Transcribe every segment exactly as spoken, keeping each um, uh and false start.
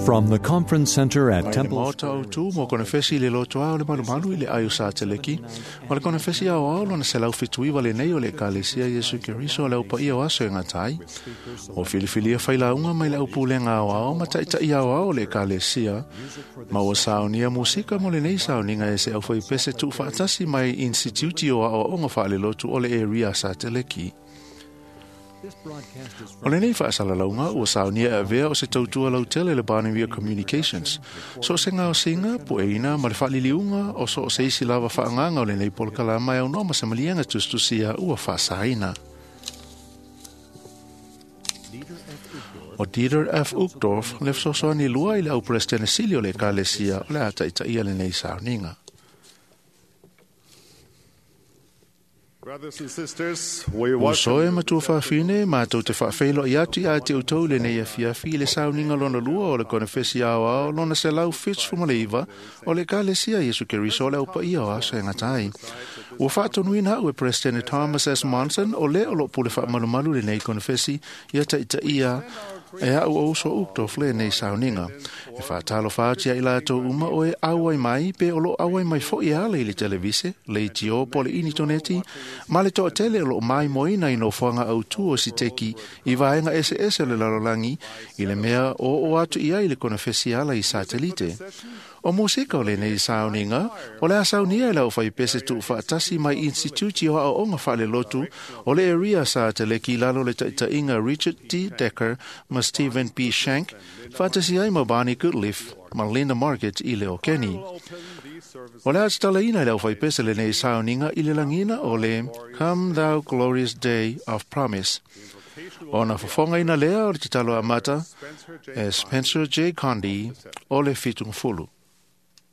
From the Conference Center at Mai le Temple maota o tu mo konefesi le loto ao le malumalu i le ai o sa teleki. O le konefesi ao ao lona se lau fituiwa le nei o le ekalesia Iesu Keriso o le aupa ia o aso e ngatai. O filifilia whailaunga mai le au pulenga ao ao ma taitai ao ao o le ekalesia. Ma ua saonia musika mo le nei saoniga e se au whaipese tu whaatasi mai Instituti o ao onga whaale lotu o le area sa teleki. O lenei faasalalauga ua saunia e avea o se tautua lautele le Barnevia Communications. So o se gaosiga pueina ma le faaliliuga o so o se isi lava faagaga o lenei polokalama e aunoa ma se maliega tusitusia ua faasaina. O Dieter F. Uchtdorf le fesoasoani lua i le au Peresetene Sili o le Ekalesia o le a taitaia lenei sauniga. Brothers and sisters, we Uso welcome e matua faafine, mātou te whaawheilo i atu i a te utou le nei afiafi i le sauniga lona lua o le konefesi ao ao lona se lau fits fumaleiva o le ekalesia Iesu Keriso o le aupa ia o aso e ngatai. Ua faatonuina au e President Thomas S. Monson o le o lo pule faamalumalu le nei konefesi ia taitaia e au o uso Uchtdorf le nei sauniga. E whaatalo whaatia i lātou uma o e auai mai pe o lo auai mai fo i ale i le televise, le itio po le initoneti, ma le toatele o lo mai moina i nofoaga autū o siteki i vaega eseese o le lalolagi i le mea o o atu i ai le konefesi ala i satelite. O musika o lenei sauniga, o le a saunia e lau whaipese tuu whaatasi mai Instituti o Aoaoga Faalelotu o le area sa teleki lalo le taitaiga Richard D. Decker ma Stephen P. Shank, whaatasi ai ma Barney Goodleaf ma Linda Market i le o Kenny. O le a tatalaina i le aufaipese lenei sauniga i le lagina o le Come Thou Glorious Day of Promise. Ona fofogaina lea o le tatalo amata e Spencer J. Condi o le Fitungafulu. Come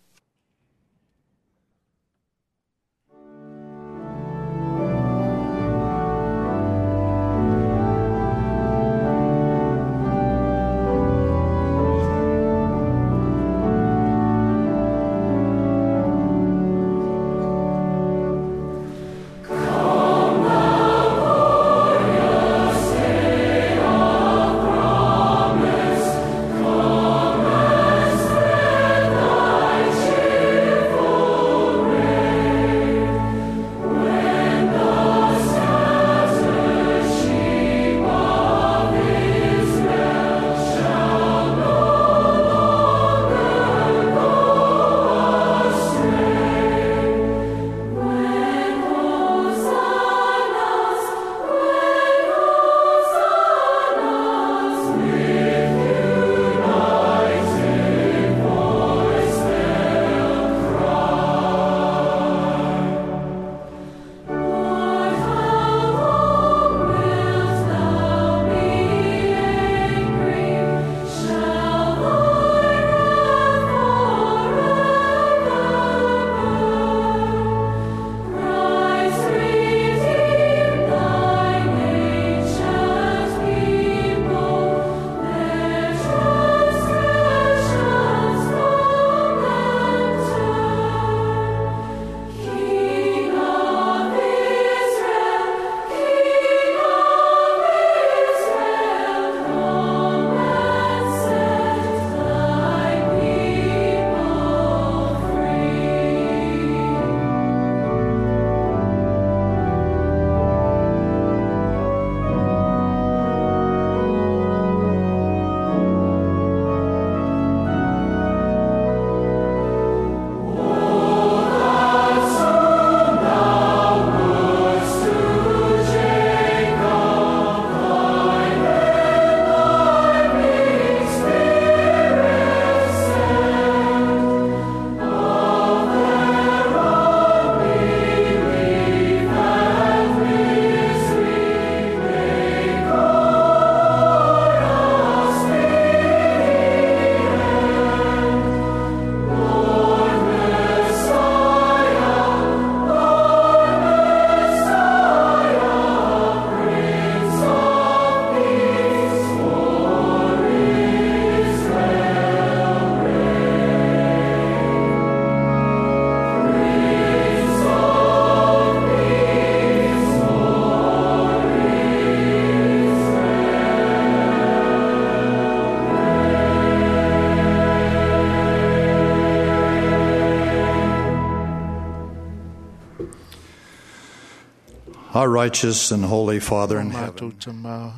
Our righteous and holy Father in Mātou heaven, tama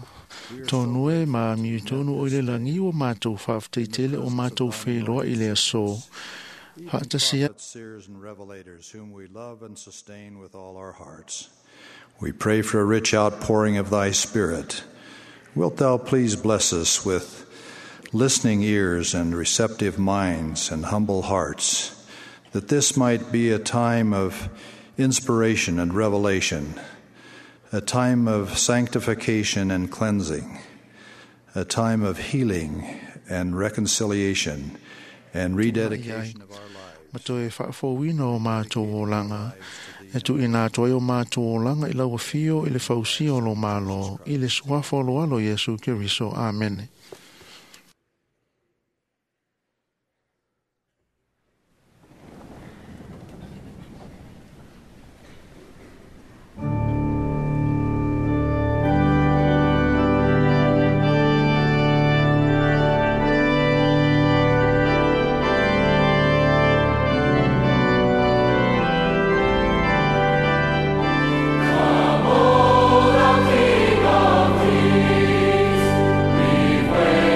tonu e ma miu tonu o i le langi o mātou whaafteitele o mātou wheloa i le aso. Haatasia prophets, seers, and revelators, whom we love and sustain with all our hearts. We pray for a rich outpouring of thy Spirit. Wilt thou please bless us with listening ears and receptive minds and humble hearts, that this might be a time of inspiration and revelation, a time of sanctification and cleansing, a time of healing and reconciliation and rededication of our lives. Ma toe whaafōwina o mātou o langa. E tu ina atoa o mātou o langa i lau whio i le fausi o lo malo, i le suafa o lo alo Iesu Keriso. Amene. King of Kings, we wait.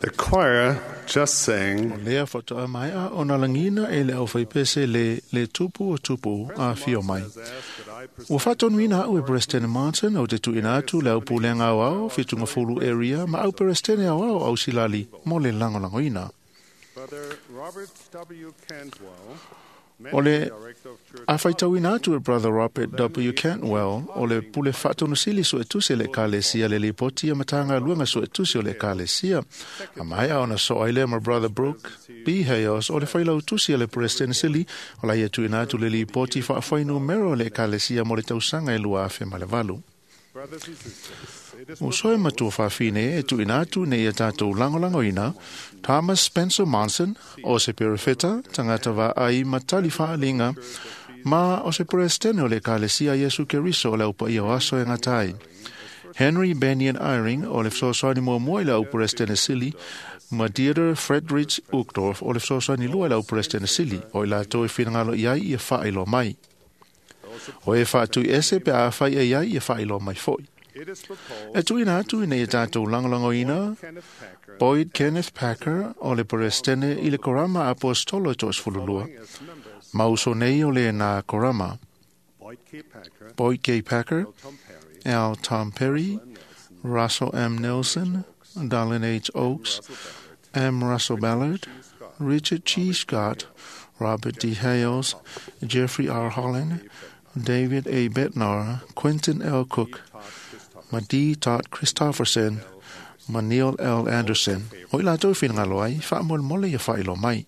The choir just sang Lea whatoa mai a ona langina e le au whaipese le, le tupu o tupu a fio mai. Ua whatonuina au e President Martin au te tuina atu le au pulenga au au whitunga fulu area ma au President au au au silali mo le langolangoina. Brother Robert W. Cantwell, O le Director of Church a whaitauina atu e Brother Robert W. Cantwell o le pule whatonusili so e tuse le kalesia le lipoti a matanga luanga so e tuse o le kalesia. A mai a ona so aile ma Brother Brooke B. Hayos o le whailau tusi a le President Sili o la ia tuina atu le lipoti whaawhainu mero le kalesia mo le tausanga e lua afe ma le valu. Brothers and sisters, it is O soe matua whawhine e tuina atu nei a tātou langolangoina, Thomas Spencer Monson, o se perefeta, tangata wa ai matali whaalinga, ma o se presidente o le kalesia Yesu Keriso o le upa ia o aso e ngatai. Henry Benyon Eyring o le fesoasoani muamua i le au presidente sili, ma Dieter Friedrich Uchtdorf o le fesoasoani lua i le au presidente sili, o i latou e finagalo i ai ia whaailoa mai. O e whaatui ese pe a whai e ai ia whaailoa mai foi. it is proposed E tuina atu ina ia tātou langolangoina, Kenneth Packer Boyd Kenneth Packer o le Perestene i le Korama Apostolo e toasfululua. as members Mauso nei o le nā Korama, Boyd K. Packer, Boyd K. Packer, Tom Perry, L. Tom Perry, Russell M. Nelson, Darlene H. Oakes, M. Russell Ballard, Richard G. Scott, Robert D. Hales, Jeffrey R. Holland, David A. Bednar, Quentin L. Cook, ma D. Todd Christofferson, ma Neil L. Anderson. O i latou whingalo ai, whaamol ia whailo mai.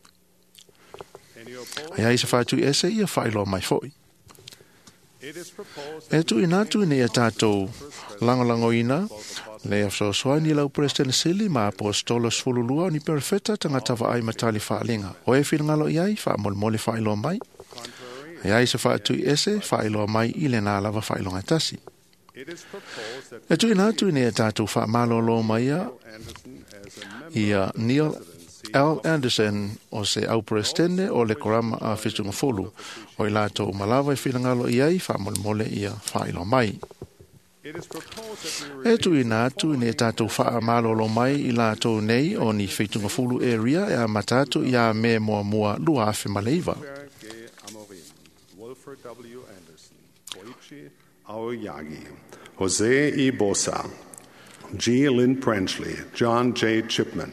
any opposed? Ai ai se whātu ese ia whailo mai foi. It is proposed E tu ina tu nei a tātou langolangoina, le afsosoani lau President Sili ma apostolos fululua ni perfeta tangata vaai matali whaalinga. O e whingalo i ai, whaamolmole whailo mai. contrary. Ai ai se whaatu ese, whailo mai i le nā lava whailonga tasi. It is proposed that E tu ina tu nei a tātou whaamalolo mai a Anderson as a member ia Neil L. Anderson o se au presidente o le korama a Whitungafulu. O i latou malawa i whingalo i ai, whaamolmole ia whailo mai. It is proposed that we E tu ina atu i tātou whaamalolo mai i latou nei o ni Whitungafulu area e a matatu i a me mua mua lua afe maleiva. Pierre G. Amorim, Wolfer W. Anderson, Koichi Aoyagi, Jose E. Bosa, G. Lynn Branchley, John J. Chipman,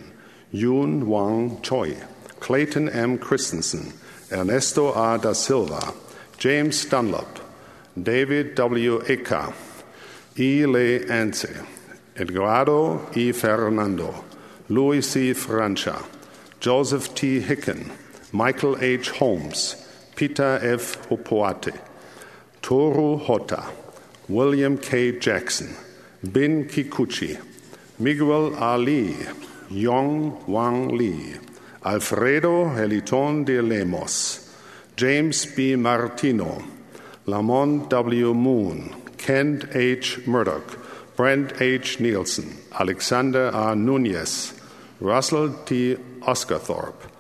Yoon Wang Choi, Clayton M. Christensen, Ernesto A. Da Silva, James Dunlop, David W. Eka, E. Le Ance, Edgardo E. Fernando, Luis C. Francia, Joseph T. Hicken, Michael H. Holmes, Peter F. Hopoate, Toru Hotta, William K. Jackson, Bin Kikuchi, Miguel Ali, Yong Wang Lee, Alfredo Heliton de Lemos, James B. Martino, Lamont W. Moon, Kent H. Murdoch, Brent H. Nielsen, Alexander R. Nunez, Russell T. Oscarthorpe,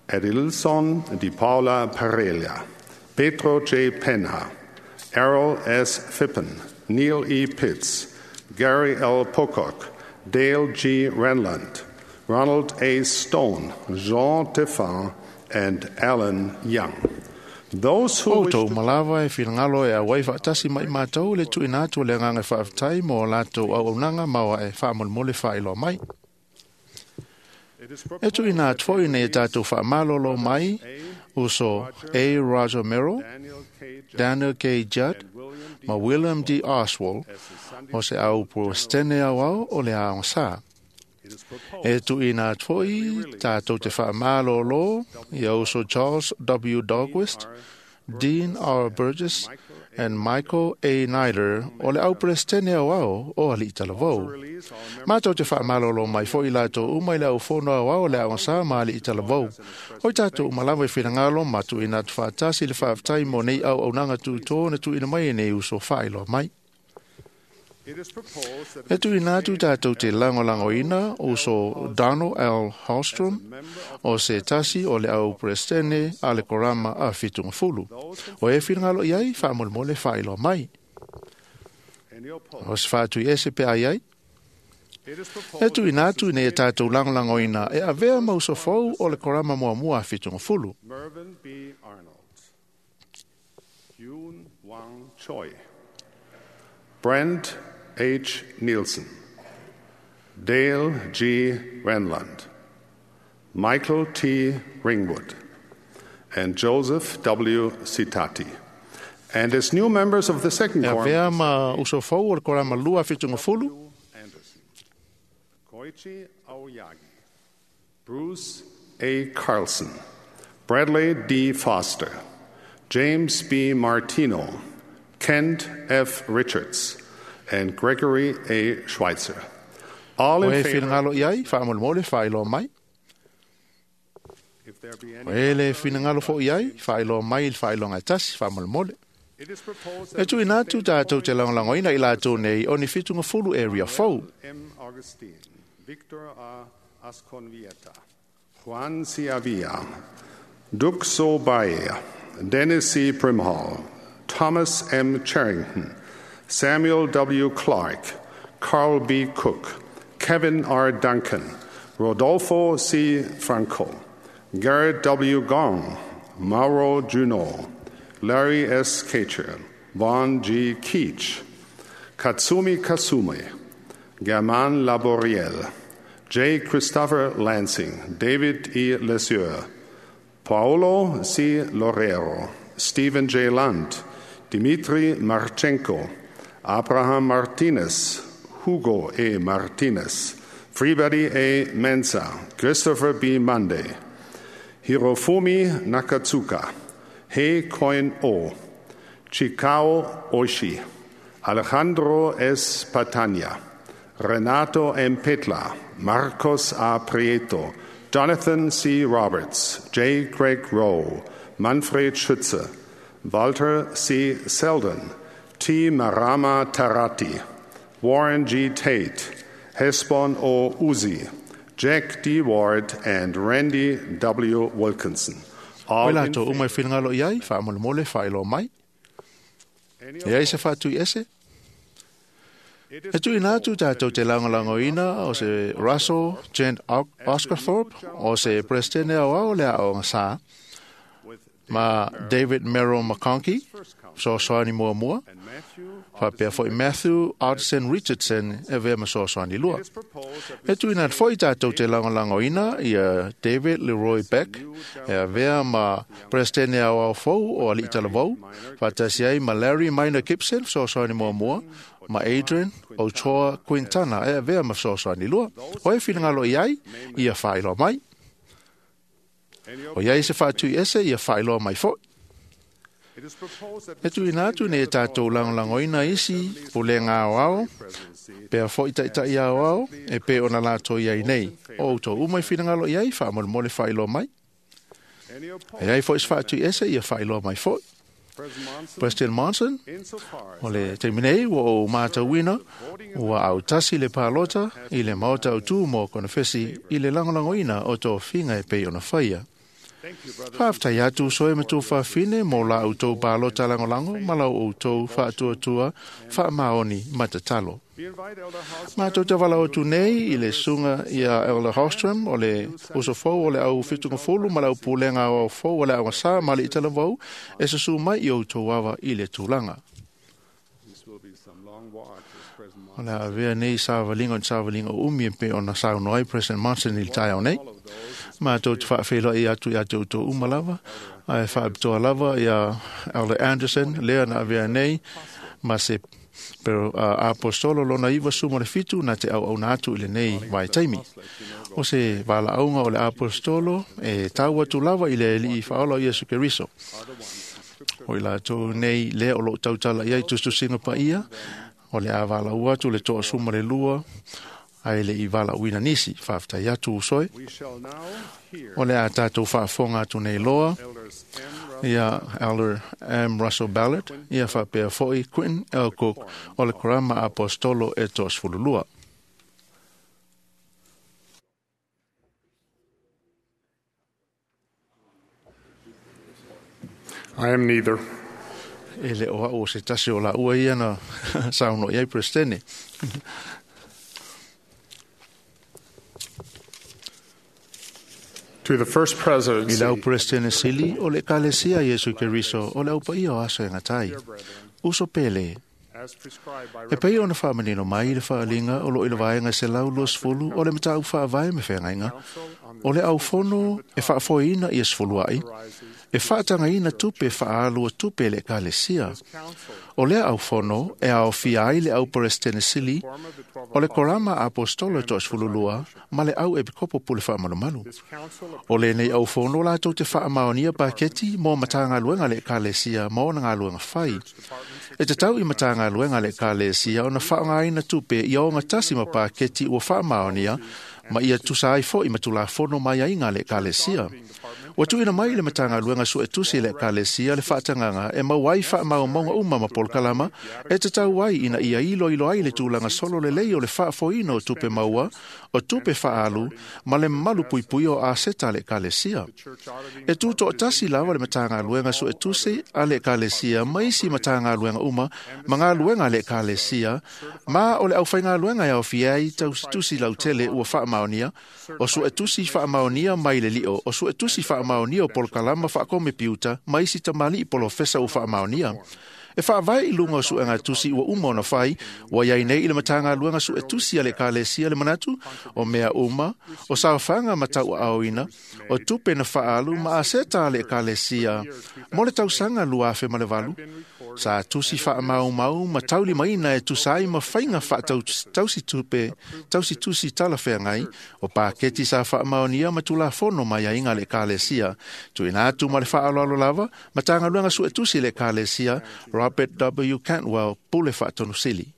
Edilson Di Paula Parelia, Pedro J. Penha, Errol S. Phippen, Neil E. Pitts, Gary L. Pocock, Dale G. Renland, Ronald A. Stone, Jean Teffin, and Alan Young. Those who O wish tau to malawa e whingalo e a wai whaatasi mai mātou le tuina atu le nganga whaaftai mō lātou au aunanga maua e whaamolmole whaailoa mai. It is E proposed tuina atu foi nei tātou whaamalolo mai uso A. Roger Merrill, Daniel K. Judd Daniel K. Judd, and William D. ma William D. Oswald, as the Sunday o se au pro stene au au o le aonga sā. It is proposed E tuina atu foi tātou te whaamalolo i uso Charles W. Dogwist, Dean R. Burgess, and Michael A. Nider o le au presidente au au o ali talavou. release our members Mātou te whaamalolo mai foi latou umai le au fono au au le au sa ma ali i talavou. Oi tātou umalawa i whirangalo matu ina tu whaatasi le whaaftai mo nei au au nanga tūtō na tu ina mai e nei uso whaailoa mai. It is proposed that E tu ina atu tātou te langolango ina uso Donald L. Hallstrom o se tasi o le au presidente a le korama a whitunga fulu. O e whirangalo i ai whaamolmole whaailoa mai. any opposed. O se whaatui ese pe ai ai, E tuuina atu ina ia tatou lagolagoina e avea ma usofou o le korama muamua a fitugafulu. Mervyn B. Arnold, Yoon Wang Choi, Brent H. Nielsen, Dale G. Renlund, Michael T. Ringwood, and Joseph W. Sitati. And as new members of the second E quorum, avea ma usofou o le korama lua a fitugafulu. Anderson, Koichi Aoyagi, Bruce A. Carlson, Bradley D. Foster, James B. Martino, Kent F. Richards, and Gregory A. Schweitzer. All O in e favor. finagalo i ai, faamolemole, faailoa mai. If there be O any, e le finagalo foi i ai, faailoa mai i le faailoga e tasi, faamolemole. it is proposed E that tuuina atu tatou te lagolagoina i latou nei o ni fitugafulu area fou. M. Augustine, Victor A. Asconvieta, Juan C. Avia, Duk So Bae, Dennis C. Primhall, Thomas M. Charrington, Samuel W. Clark, Carl B. Cook, Kevin R. Duncan, Rodolfo C. Franco, Garrett W. Gong, Mauro Juno, Larry S. Kacher, Vaughn G. Keach, Katsumi Kasume, German Laboriel, J. Christopher Lansing, David E. Lesueur, Paolo C. Lorero, Stephen J. Lund, Dmitry Marchenko, Abraham Martinez, Hugo A. Martinez, Freebody A. Mensa, Christopher B. Monday, Hirofumi Nakatsuka, Hei Koin O, Chikao Oishi, Alejandro S. Patania, Renato M. Petla, Marcos A. Prieto, Jonathan C. Roberts, J. Craig Rowe, Manfred Schütze, Walter C. Selden, T. Marama Tarati, Warren G. Tate, Hesbon O. Uzi, Jack D. Ward, and Randy W. Wilkinson. O All i in latou uma e favor. finagalo i ai, faamolemole, faailoa mai. Any E ai se faatui ese. It is E tuuina atu tatou te lagolagoina o se Russell Gent Oscarthorpe o se Presidente aoao le aoga sa with ma David Merrill McConkie, fesoasoani muamua, and Matthew faapea foi Matthew Audson Richardson e avea ma fesoasoani lua. It is proposed that we E tuuina atu foi tatou te lagolagoina ia David Leroy Beck e avea ma Presidente aoao fou o Alii Talavou, faatasi ai ma Larry Minor Gibson fesoasoani muamua, ma Adrian Ochoa Quintana e avea ma fesoasoani lua. O e finagalo i ai, ia faailoa mai. any O iai se faatui ese, ia faailoa mai foi. It is proposed that E tuuina atu nei e tatou lagolagoina isi pulega aoao, presidency pea foi taitai aoao, e pe ona latou i ai nei. O outou uma i finagalo i ai, faamolemole faailoa mai. any opposed E ai foi se faatui ese, ia faailoa mai foi. President Monson President Monson, insofar as o le taimi nei ua ou matauina, ua autasi le palota i le maota o tu mo konefesi i le lagolagoina o tofiga e pei ona faia. thank you brothers Faafetai atu soe ma tou faafine mo la outou palota lagolago ma lau outou faatuatua faamaoni ma tatalo. we invite Elder House Matou te valaau atu nei i le susuga ia Elder Holstrom o le usofou o le au fitugafulu ma le au pulega aoao fou o le aogasā ma le italavou e susu mai i outou ava i le tulaga. This will be some long walk as President O le avea nei savaliga o ni savaliga o umi e pei ona saunoa ai President Monson i le taeao nei. all of those Matou te faafeiloai atu ia te outou uma lava, ae faapitoa lava ia Elder Anderson, lea na avea nei, ma se pero uh, apostolo lona iva suma le fitu na te auauna atu i lenei vaitaimi. O se valaauga o le apostolo e tau atu lava i le alii faaola o Iesu Keriso. O i latou nei lea o loo tautala i ai tusitusiga paia, o le a valaau atu le toasuma le lua, ae le i valaauina nisi. Faafetai atu usoe. we shall now hear O le a tatou faafofoga atu nei loa Elders M. Russell ia Elder M. Russell Ballard, ia faapea foi Quentin L. Cook o le Korama Apostolo e toasefululua. I am neither. E le o au o se tasi o la ua ia na saunoa i ai Presidente. To the first I lau presidency, Presidente Sili o le Ekalesia Iesu Keriso o le aupaia o aso e gatai. Uso pele, as prescribed by e pei ona faamanino mai le faaliga o loo i le vaega selau luasefulu o le mataupu faavae me feagaiga o le aufono e faafoeina ia sefuluaʻi e faatagaina tupe faaalua tupe e le Ekalesia. O lea aufono e aofia ai le au Peresetene Sili o le Korama Aposetolo e toasefululua ma le au Epikopo pule faamalumalu. O lenei aufono latou te faamaonia paketi mo matagaluega le Ekalesia ma ona galuega fai. E tatau i matagaluega le Ekalesia ona faaaogaina tupe ia ogatasi ma paketi ua faamaonia ma ia tusa ai foʻi ma tulafono mai aiga le Ekalesia. Ua tuuina mai le Matagaluega Suetusi le Ekalesia le faatagaga e maua ai faamaumauga uma ma polokalama e tatau ai ina ia iloilo ai le tulaga solo lelei o le faafoeina o tupe maua, o tupe faaalu ma le malupuipuia o aseta a le Ekalesia. E tutoatasi lava le Matagaluega Suetusi a le Ekalesia ma isi Matagaluega uma ma galuega a le Ekalesia, ma o le aufaigaluega e aofia ai tausitusi lautele ua faamaonia, o suetusi faamaonia mai le lio, o suetusi faamaonia o polokalama faakomepiuta ma isi tamalii polofesa ua faamaonia. E faavae i luga o suegatusi ua uma ona fai, ua iai nei i le Matagaluega Suetusi a le Ekalesia le manatu, o mea uma, o saofaga ma tauaaoina, o tupe na faaalu ma aseta a le Ekalesia mo le tausaga lua afe ma le valu, sa tusi faamaumau ma taulimaina e tusa ai ma faiga faatausitupe tausitusi talafeagai o paketi sa faamaonia ma tulafono mai aiga le Ekalesia. Tuuina atu ma le faaaloalo lava Matagaluega Suetusi le Ekalesia, Robert W. Cantwell, Pule Faatonusili.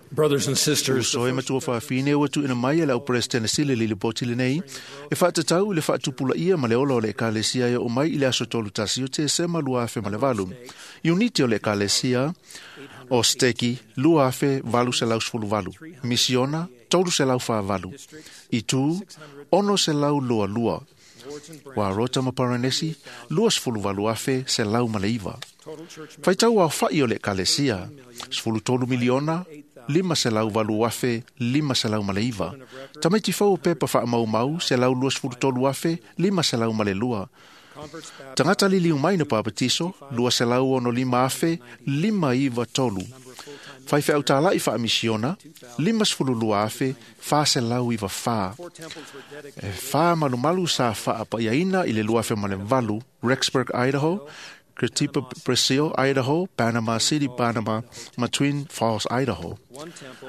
Brothers and sisters, Uso e matua faafine ua tuuina mai e le au Peresetene Sili le lipoti lenei e faatatau i le faatupulaia ma le ola o le Ekalesia e oo mai i le aso tolu tasi o Tesema lua afe ma le valu. Iuniti o le Ekalesia o Steki lua afe valu selau sefulu valu, Misiona tolu selau faavalu, Itu ono selau lua lua, Warota ma Paranesi lua sefulu valu afe selau ma le iva. Faitau aofaʻi o le Ekalesia sefulu tolu miliona lima selau valu afe lima selau ma le iva. Tamaiti fou o pepa faamaumau selau lua sefulu tolu afe lima selau ma le lua. Tagata liliu mai na papatiso lua selau ono lima afe lima iva tolu. Faifeau tālaʻi faamisiona lima sefulu lua afe fa selau iva fa. E fa malumalu sa faapaiaina i le lua afe ma le valu Rexburg, Idaho, Curitiba, Brazil, Idaho, Panama City, Panama, ma Twin Falls, Idaho.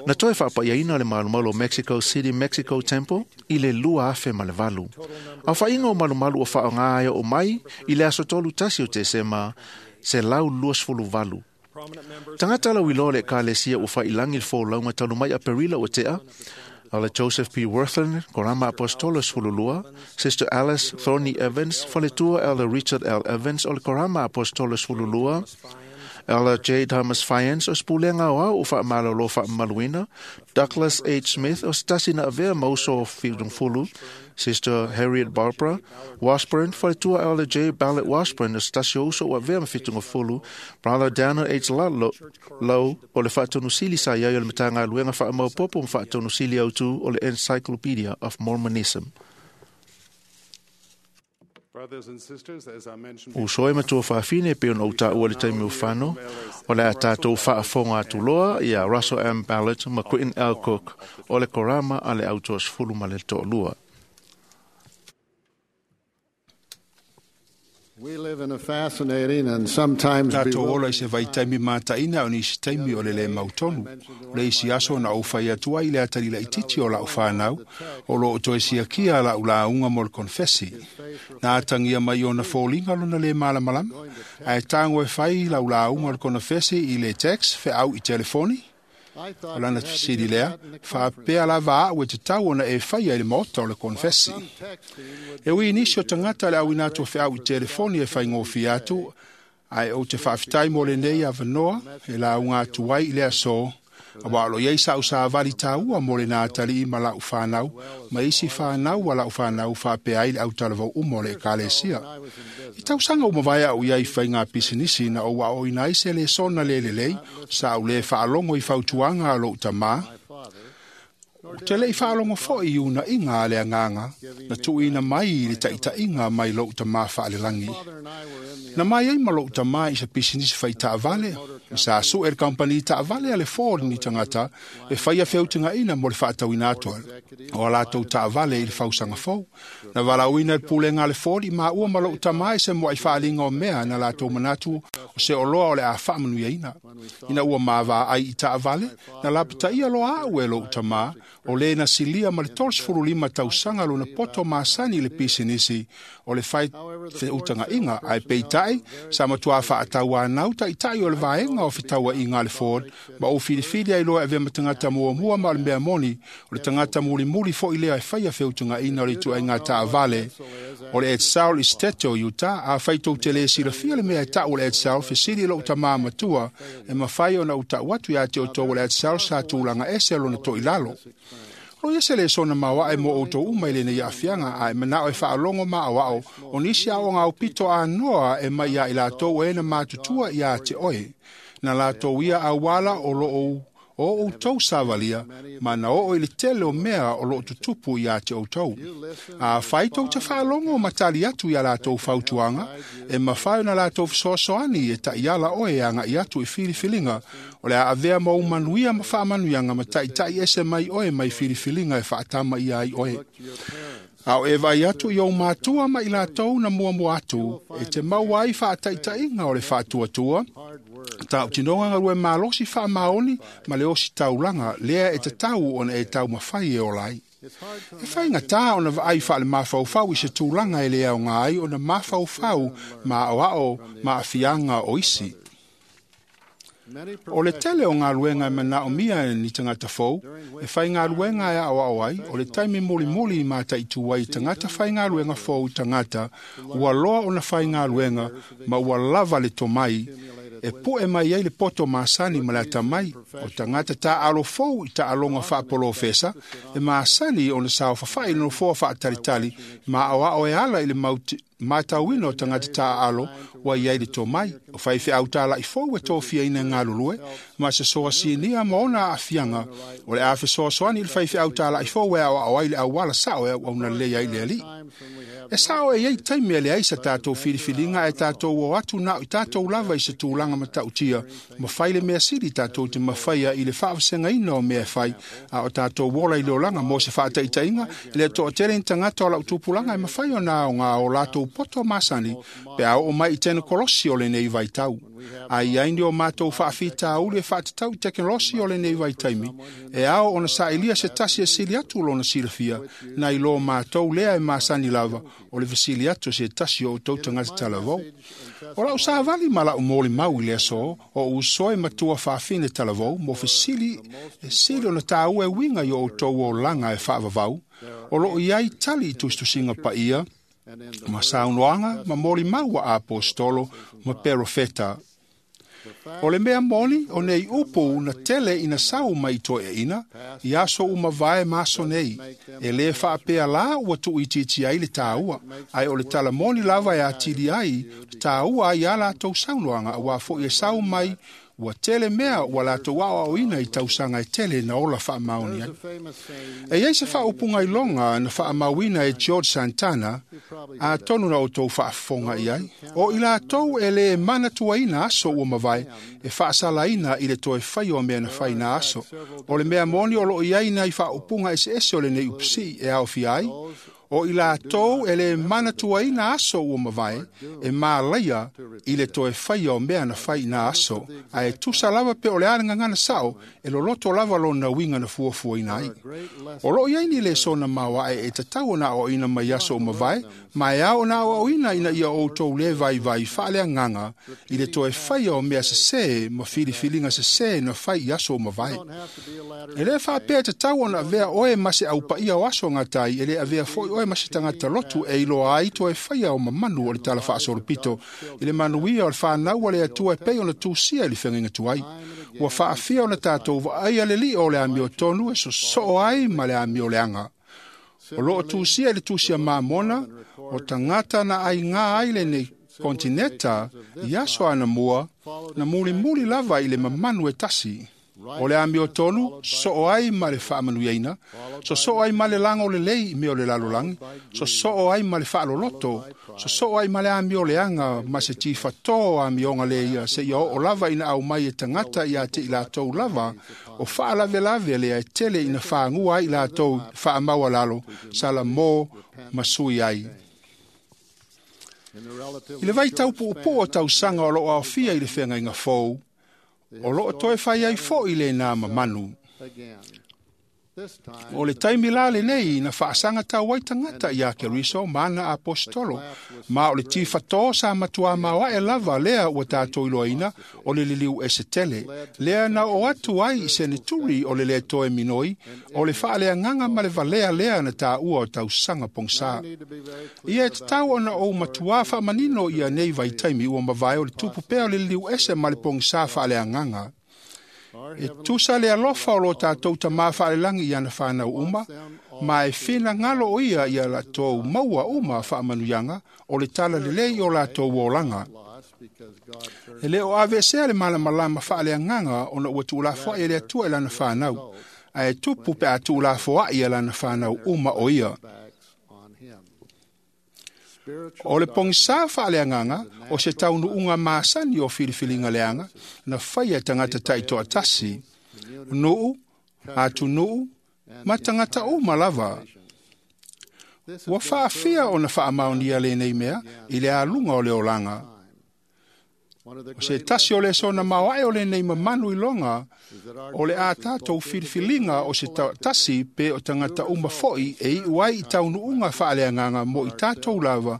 Na toe faapaiaina le malumalu o Mexico City, Mexico Temple i le lua afe ma le valu. Aofaiga o malumalu o faaaoga ai oo mai i le aso tolu tasi o Tesema selau luasefulu valu. Tagata lauiloa o le Ekalesia ua failagi le folauga talu mai Aperila ua tea, o le Joseph P. Worthen, Korama Apostolo sefululua, Sister Alice Thorny Evans, faletua Elder Richard L. Evans o le Korama Apostolo sefululua, Elder J. Thomas Fiance o se pulega aoao o faamalolo faamamaluina, Douglas H. Smith o se tasi na avea ma uso o Fidungfulu, Sister Harriet Barbara Washburn, faletua Elder J. Ballard Washburn o se tasi o uso ua avea ma Fitungafulu, Brother Daniel H. Ludlow Low o le faatonusili sa iai o le Matagaluega faamaopopo ma faatonusili autu o le Encyclopedia of Mormonism. Brothers and sisters, as I mentioned Uso e matua faafine pe ona utaua le taimi o fano, o le a tātou faafoga atu loa ia Russell M. Ballard ma Quentin L. Cook o le Korama a le autoasefulu ma le toalua. We live in a fascinating and sometimes Tatou ola i bewildering se vaitaimi mataina o nisi taimi o le le mautonu. Le isi aso na ou fai atu ai le atali laitiiti o lau whanau, o lo o toe siakia lau launga mo le konfesi. Na atangia mai ona fōlinga lona le malamalama, ae tango e fai lau launga o le konfesi i le text feau i telefoni, I o thought lana you had to fesili give lea, that in the faapea lava au e tatau ona e faia i le maota o le konfesi. Some texting would E ui nisi o tagata le auina atu o feau i telefoni e whaingōwhi atu, ae o te whaafetai mo le nei awanoa, e launga atu ai i le aso, a wa alo iai sa usa avali tāua mo le nā tali i ma lau whānau, ma isi whānau wa lau whānau whaapea ai le au talavau umo le ekalesia. I tausaga ua mavae a'u ia i faiga pisinisi na ou a'o'oina ai se lesona le lelei sa ou lē faalogo i fautuaga a lo'u tamā. Ou te le'i faalogo fo'i i una'iga a le agaga na tu'uina mai i le ta'ita'iga mai lo'u tamā fa'alelagi. Na mai ai ma lo'u tamā i se pisinisi fa'ita'avale, ma sa su'e le kampani ta'avale a le Ford ni tagata e faia feutaga'ina mo le fa'atauina atu o a latou ta'avale i le fausaga fou. Na valauina le pulega a le Ford i māua ma lo'u tamā i se moa'i fa'aliga o mea na latou manatu o se oloa o le a fa'amanuiaina. Ina ua mavaai i ta'avale, na lapata'ia loa a'u e lo'u tamā, o lē na silia ma le tolu lima tausaga lona poto masani i le pisinisi o le fai feutaga'iga ae peita'i sa matuā fa'atauānau ta'ita'i o le vaega o fetaua'iga a le Ford ma ou filifili ai loa e avea ma tagata muamua ma o le mea moni o le tagata mulimuli fo'i lea e faia feutaga'iga o le ituaiga ta'avale o le Edsel i Steto, Utah. Afai tou te lē silafia le mea e ta'u o le Edsel, fesili i lo'u tamā matua e mafai ona ou ta'u atu iā te outou o le Edsel sa tulaga ese lona to'ilalo. O ia se lesona maoaʻe mo outou uma i lenei aafiaga ae mana'o e faalogo maʻaoaʻo o nisi aoga aupito anoa e mai iā i latou e na matutua iā te oe. Na latou ia auala o loo o outou savalia ma na oo i le tele o mea o loo tutupu iā te outou. Afai tou te faalogo ma tali atu iā latou fautuaga e mafai ona latou fesoasoani e taʻiala oe e agaʻi atu i filifiliga o le a avea ma ou manuia ma faamanuiaga ma taʻitaʻi ese mai oe mai filifiliga e faatama ia ai oe. A o e vaai atu i ou matua ma i latou na muamua atu e te maua ai faataʻitaʻiga o le faatuatua ta'utinoga galue malosi faamaoni ma le osi taulaga lea e tatau ona e taumafai e ola ai. E faigatā ona vaai fa'alemafaufau i se tulaga e lē aogā ai ona mafaufau ma a'oa'o ma a'afiaga o isi. O le tele o galuega e mana'omia e ni tagata fou, e faigaluega e a'oa'o ai, o le taimi mulimuli i mata'itū ai i tagata faigaluega fou i tagata, ua loa ona faigaluega ma ua lava le tomai, e pu'e mai ai le poto masani ma le atamai, o tagata ta'alo fou i ta'aloga fa'apolofesa, e masani ona saofafa'i le nofoa fa'atalitali ma a'oa'o e ala i le mauti, matauina o tagata ta'aalo ua iai le tomai, o faife'au tala'i fou e tofiaina e galulue, ma se soasinia ma ona a'afiaga o le a fesoasoani i le faife'au tala'i fou e a'oa'o ai le auala sa'o e auauna lelei ai le ali'i. E sa'o e iai taimi e leai sa tatou filifiliga ae tatou o atu na'o i tatou lava i se tulaga mata'utia ma fai le mea sili tatou te mafaia i le fa'avasegaina o mea e fai a o tatou ola i le olaga mo se fa'ataʻitaʻiga e le to'atele ni tagata o la'u tupulaga e mafai ona aogā o latou poto masani pe a oo mai i tenekolosi o lenei vaitau. A iai ni o matou fa'afitauli e fa'atatau i tekenolosi o lenei vaitaimi e ao ona sa'ilia se tasi e sili atu lona silafia na i lō matou lea e masani lava o le fesili atu se tasi o outou tagata talavou. O la'u savali ma la'u molimau i le aso o uso e matua fa'afine talavou mo fesili e sili ona tāua e uiga i o outou olaga e fa'avavau o lo'o iai tali i tusitusiga pa'ia ma saunoaga ma molimau a apostolo ma perofeta. O le mea moni o nei upu na tele ina sau mai toeaina i aso uma vae ma aso nei, e lē fa'apea lā ua tu'uitiiti ai le tāua, ae o le talamoni lava e atili ai le tāua ai a latou saunoaga auā fo'i e sau mai ua tele mea ua latou a'oa'oina i tausaga e tele na ola fa'amaoni ai. E iai se fa'aupuga iloga na fa'amauina e George Santana, atonu na outou fa'afofoga i ai, o i latou e lē manatuaina aso ua mavae e fa'asalaina i le toe faia o mea na fai na aso. O le mea moni o lo'o iai nai fa'aupuga eseese o lenei upisi'i e aofia ai, o i latou e lē manatuaina aso ua mavae e malaia i le toe faia o mea na fai na aso, ae tusa lava pe o le a le gagana sa'o e loloto lava lona uiga na fuafuaina ai. O lo'o iai ni lesona maoaʻe e tatau ona aoaʻoina mai aso ua mavae, ma e ao ona aoaʻoina ina ia outou lē vaivai fa'aleagaga i le toe faia o mea sesē ma filifiliga sesē na fai i aso ua mavae. E lē fa'apea e tatau ona avea oe ma se aupaia o aso gatai, e lē avea fo'i oe ma se tagata lotu e iloa ai toe faia o mamanu o le tala fa'asolopito i le manuia o le fanau a le Atua e pei ona tusia i le feagaiga tuai. Ua fa'afia ona tatou va'aia le li'o o le amiotonu e soso'o ai ma le amio leaga. O lo'o tusia i le tusia mamona o tagata na aigā ai lenei Kontineta i aso anamua na mulimuli lava i le mamanu e tasi. O le amiotonu, soo ai ma le faamanuiaina, sosoo ai ma le lago lelei i mea o le lalolagi, sosoo ai ma le faaloloto, sosoo ai ma le amioleaga ma se tifatō o amioga lē ia seia oo lava ina aumai e tagata ia te i latou lava o faalavelave lea e tele ina fagua ai i latou faamaualalo salamō ma sui ai. I le vaitau puupuu o tausaga o loo aofia i le feagaiga fou, o loo toe fai ai foʻi lenā mamanu. O le taimi la lenei na faasaga tau ai tagata iā Keriso ma ana aposetolo, ma o le tifatō sa matuā maoaʻe lava lea ua tatou iloaina o le liliu ese tele, lea na oo atu ai i seneturi o le lē toe minoi, o le faaleagaga ma le valea lea na taua o tausaga pogasā. Ia e tatau ona ou matuā faamanino ia nei vaitaimi ua mavae o le tupu pea o le liliu ese ma le pogasā faaleagaga. E tusa le alofa o lo tatou tamā faalelagi i ana whanau uma, ma e finagalo o ia ia latou maua uma faamanuiaga o le tala lelei o latou olaga. E le o aveesea le malamalama faaleagaga ona ua tuulafoai e le Atua i lana whanau, ae tupu pe a tuulafoai e lana whanau uma o ia. O le pogisā faaleagaga o se taunuuga masani o filifiliga leaga na faia e tagata taitoatasi, nuu, atunuu ma tagata uma lava. Ua faafia ona faamaonia lenei mea i le aluga o le olaga. O se tasi o le sona maoae o lenei mamanu iloga o le a tatou filifiliga o se tasi pe o tagata uma foʻi e iu ai i taunuuga faaleagaga mo i tatou lava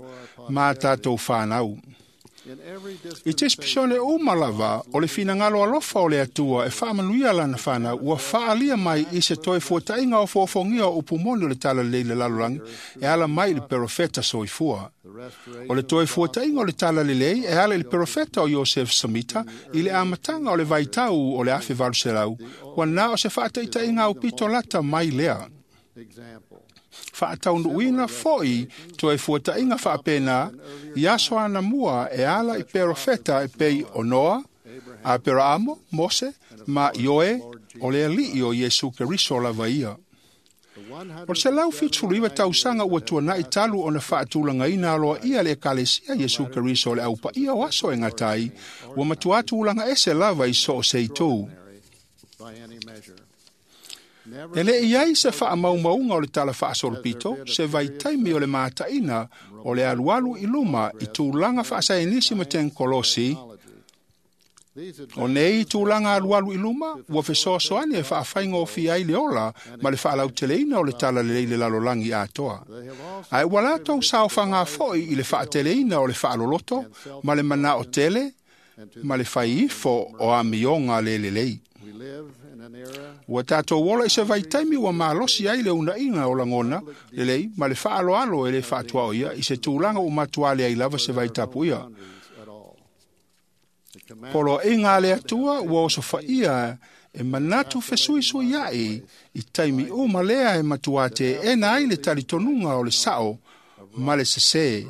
ma tatou whanau. I tispisione uma lava o le finagalo alofa o le Atua e faamanuia lana whanau ua faalia mai i se toe fuataʻiga o foofogia o upu moni o le talalelei le lalolagi e ala mai i le perofeta soifua. O le toe fuataʻiga o le talalelei e ala i le perofeta o Iosef Samita i le amataga o le vaitau o le afe valu selau ua na o se faataʻitaʻiga aupito lata mai lea. Faataunuuina foʻi toe fuataʻiga faapena i aso anamua e ala i perofeta e pei o Noa, Aperaamo, Mose ma Ioe o le alii o Iesu Keriso lava ia. O le selau fitusefuluiva tausaga ua tuanaʻi talu ona faatulagaina aloaia le ekalesia Iesu Keriso o le aupaia o aso e gata ai, ua matuā tulaga ese lava i so o se itu. E le i ai se faamaumauga o le tala faasolopito, se vaitaimi o le mataʻina o le alualu i luma i tulaga faasaenisi ma tenkolosi. O nei tulaga alualu i luma, ua fesoasoani e faafaigofie ai le ola ma le faalauteleina o le talalelei le lalolagi atoa. Ae ua latou saofaga foʻi i le faateleina o le faaloloto ma le manao tele ma le faiifo o amioga le lelei. Ua tatou ola i se vaitaimi ua malosi ai le unaiga o lagona lelei ma le faaloalo e le faatuaoia i se tulaga ua matuā leai lava se vaitapuia. Poloaiga a le Atua ua osofaia e manatu fesuisuiaʻi i taimi uma lea e matuā teena ai le talitonuga o le sao ma le sesē.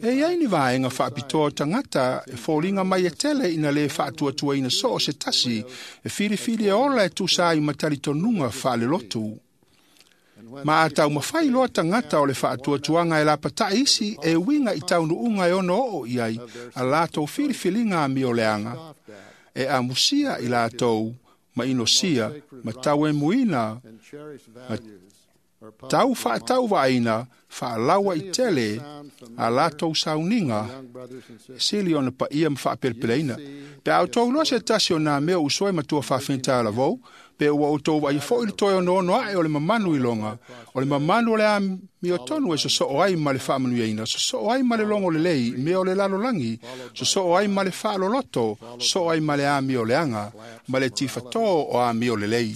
E iai ni vaega faapitoa o tagata e foliga mai e tele ina lē faatuatuaina soo se tasi e filifili e ola e tusa ai ma talitonuga faalelotu. Ma a taumafai loa tagata o le faatuatuaga e lapataʻi isi e uiga i taunuuga e ono oo i ai a latou filifiliga amioleaga, e amusia i latou ma inosia ma tauemuina ma tau faatauvaaina faalaua i tele a latou sauniga sili ona paia ma faapelepeleina. Pe a outou loa se tasi o nā mea usoe matua faafigata lavou, pe ua outou vaaia foʻi le toe onoono aʻe o le mamanu iloga, o le mamanu o le amiotonu e sosoo ai ma le faamanuiaina, sosoo ai ma le logo lelei mea o le lalolagi, sosoo ai ma le faaloloto, sosoo ai ma le amioleaga, ma le tifatō o amio lelei.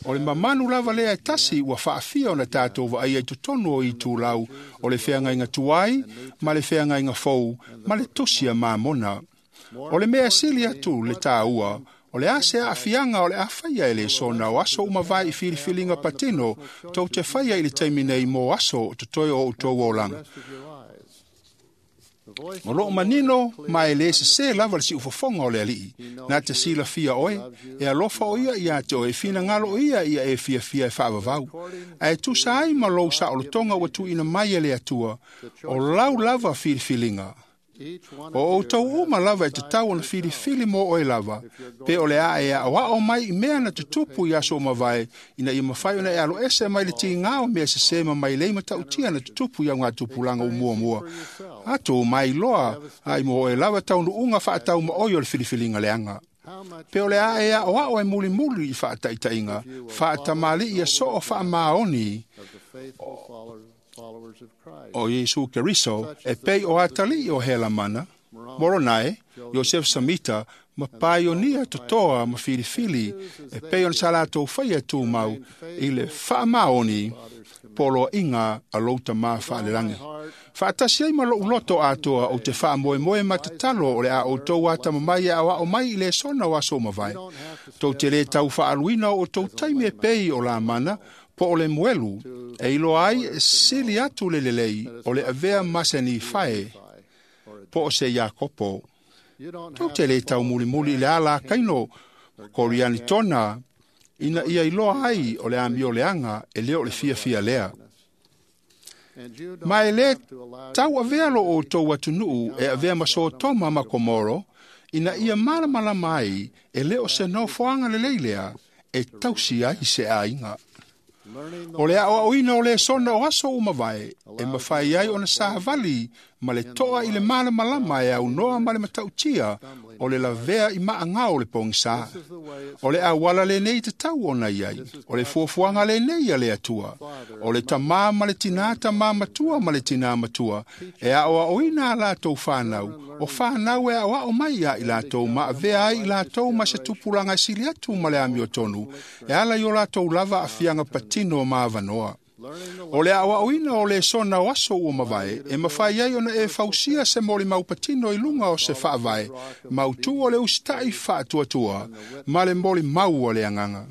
O le mamanu lava lea e tasi ua faafia ona tatou vaaia i totonu o itulau o le feagaiga tuai ma le feagaiga fou ma le tusi a Mamona. O le mea sili atu le tāua, o le ase aafiaga o le afaia e le sona o aso uma vae i filifiliga patino tou te faia i le taimi nei mo aso o totoe o outou olaga. O loo manino ma e le sesē lava le siufofoga o le aliʻi na te silafia oe e alofa o ia iā te oe e finagalo o ia ia e fiafia e faavavau ae tusa ai ma lou saolotoga ua tuuina mai e le Atua o lau lava filifiliga. O outou uma lava e tatau ona filifili mo oe lava, pe o le a e aʻoaʻo mai i mea na tutupu i aso o mavae, ina ia mafai ona e aloese mai le tigā o mea sesē ma mailei matautia na tutupu i augatupulaga o muamua. Atu mai loa ai mo oe lava taunuuga faataumaoi o le filifiliga leaga. Pe o le a e aʻoaʻo e mulimuli i faataitaiga, faatamalii e soo faamaoni o Iesu Keriso e pei o atalii o Helamana, Moronae, Iosef Samita, ma paionia totoa ma filifili e pei ona sa latou faia tumau i le faamaoni poloaiga a lou tamā faalelagi. Faatasi ai ma lou loto atoa ou te faamoemoe ma tatalo o le a outou atamamai e aoao mai i le sona o aso o mavae. Tou te lē tau faaaluina o outou taimi e pei o Lamana po o le Moelu e iloa ai e sili atu le lelei o le avea ma se Nifae po o se Iakopo. Tou te lē taumulimuli i le ala a Kaino Korianitona ina ia iloa ai o le amioleaga e lē o le fiafia lea. Ma e lē tau avea lo outou atunuu e avea ma Sotoma ma Komoro ina ia malamalama ai e lē o se nofoaga lelei lea e tausi ai se aiga. O le aʻoaʻoina o le sona o aso o mavae e mafai ai ona savali ma le toa i le malamalama e aunoa ma le matautia o le lavea i maaga o le pogisā. O le auala lenei tatau ona i ai, o le fuafuaga lenei a le Atua, o le tamā ma le tinā tamā matua ma le tinā matua, e aʻoaʻoina a latou fanau, o fanau e aʻoaʻo mai iā i latou ma avea ai i latou ma se tupulaga e sili atu ma le amiotonu, e ala i o latou lava aafiaga patino ma avanoa. O le aʻoaʻoina o le sona o aso ua mavae e mafai ai ona e fausia se molimau patino i luga o se faavae mautū o le usitaʻi faatuatua ma le molimau o le agaga.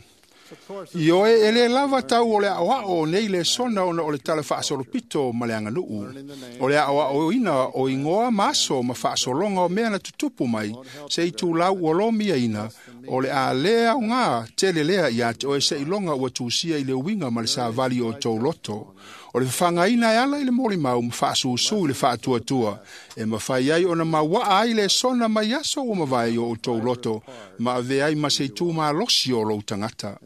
Ioe e lē lava tau o le aʻoaʻo o nei lesona ona o le tala faasolopito ma le aganuu. O le aʻoaʻoina o igoa ma aso ma faasologa o mea na tutupu mai se itulau ua lomiaina o le a lē aogā tele lea iā te oe seʻiloga ua tusia i le uiga ma le savali o tou loto. O le fafagaina e ala i le molimau ma faasusū i le faatuatua e mafai ai ona mauaa ai lesona mai aso ua mavae i o outou loto ma avea ai ma se itū malosi o lou tagata.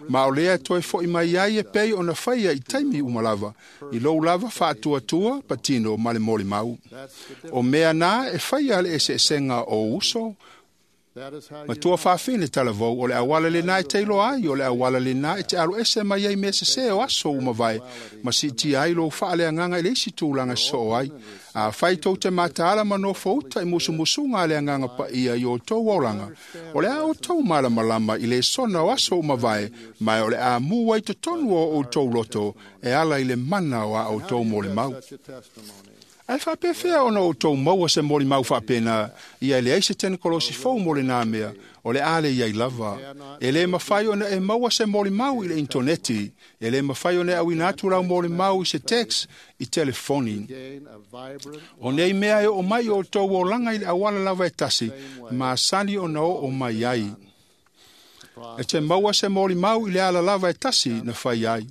Ma o lea toe foʻi mai ai e pei ona faia i taimi uma lava i lou lava faatuatua patino ma le molimau. O mea na e faia le eseesega o uso matua faafine talavou o le auala lenā e teiloa ai o le auala lenā e te aloese mai ai mea sesē o aso ua mavae ma siitia ai lou faaleagaga i le isi tulaga sosoo ai. Afai tou te mataala ma nofouta i musumusuga a le agaga paia i outou olaga, o le a outou malamalama i le sona o aso ua mavae, ma o le a mu ai totonu o outou loto e ala i le mana o a outou molimau. Ae faapefea ona outou maua se molimau faapena ia e leai se tenekolosi fou mo lenā mea o le a le iai lava. E lē mafai ona e maua se molimau i le intoneti, e lē mafai ona e auina atu lau molimau i se tex i telefoni. O nei mea e oo mai o outou olaga i le auala lava e tasi, masani ona oo mai ai. E te maua se molimau i le ala lava e tasi na fai ai.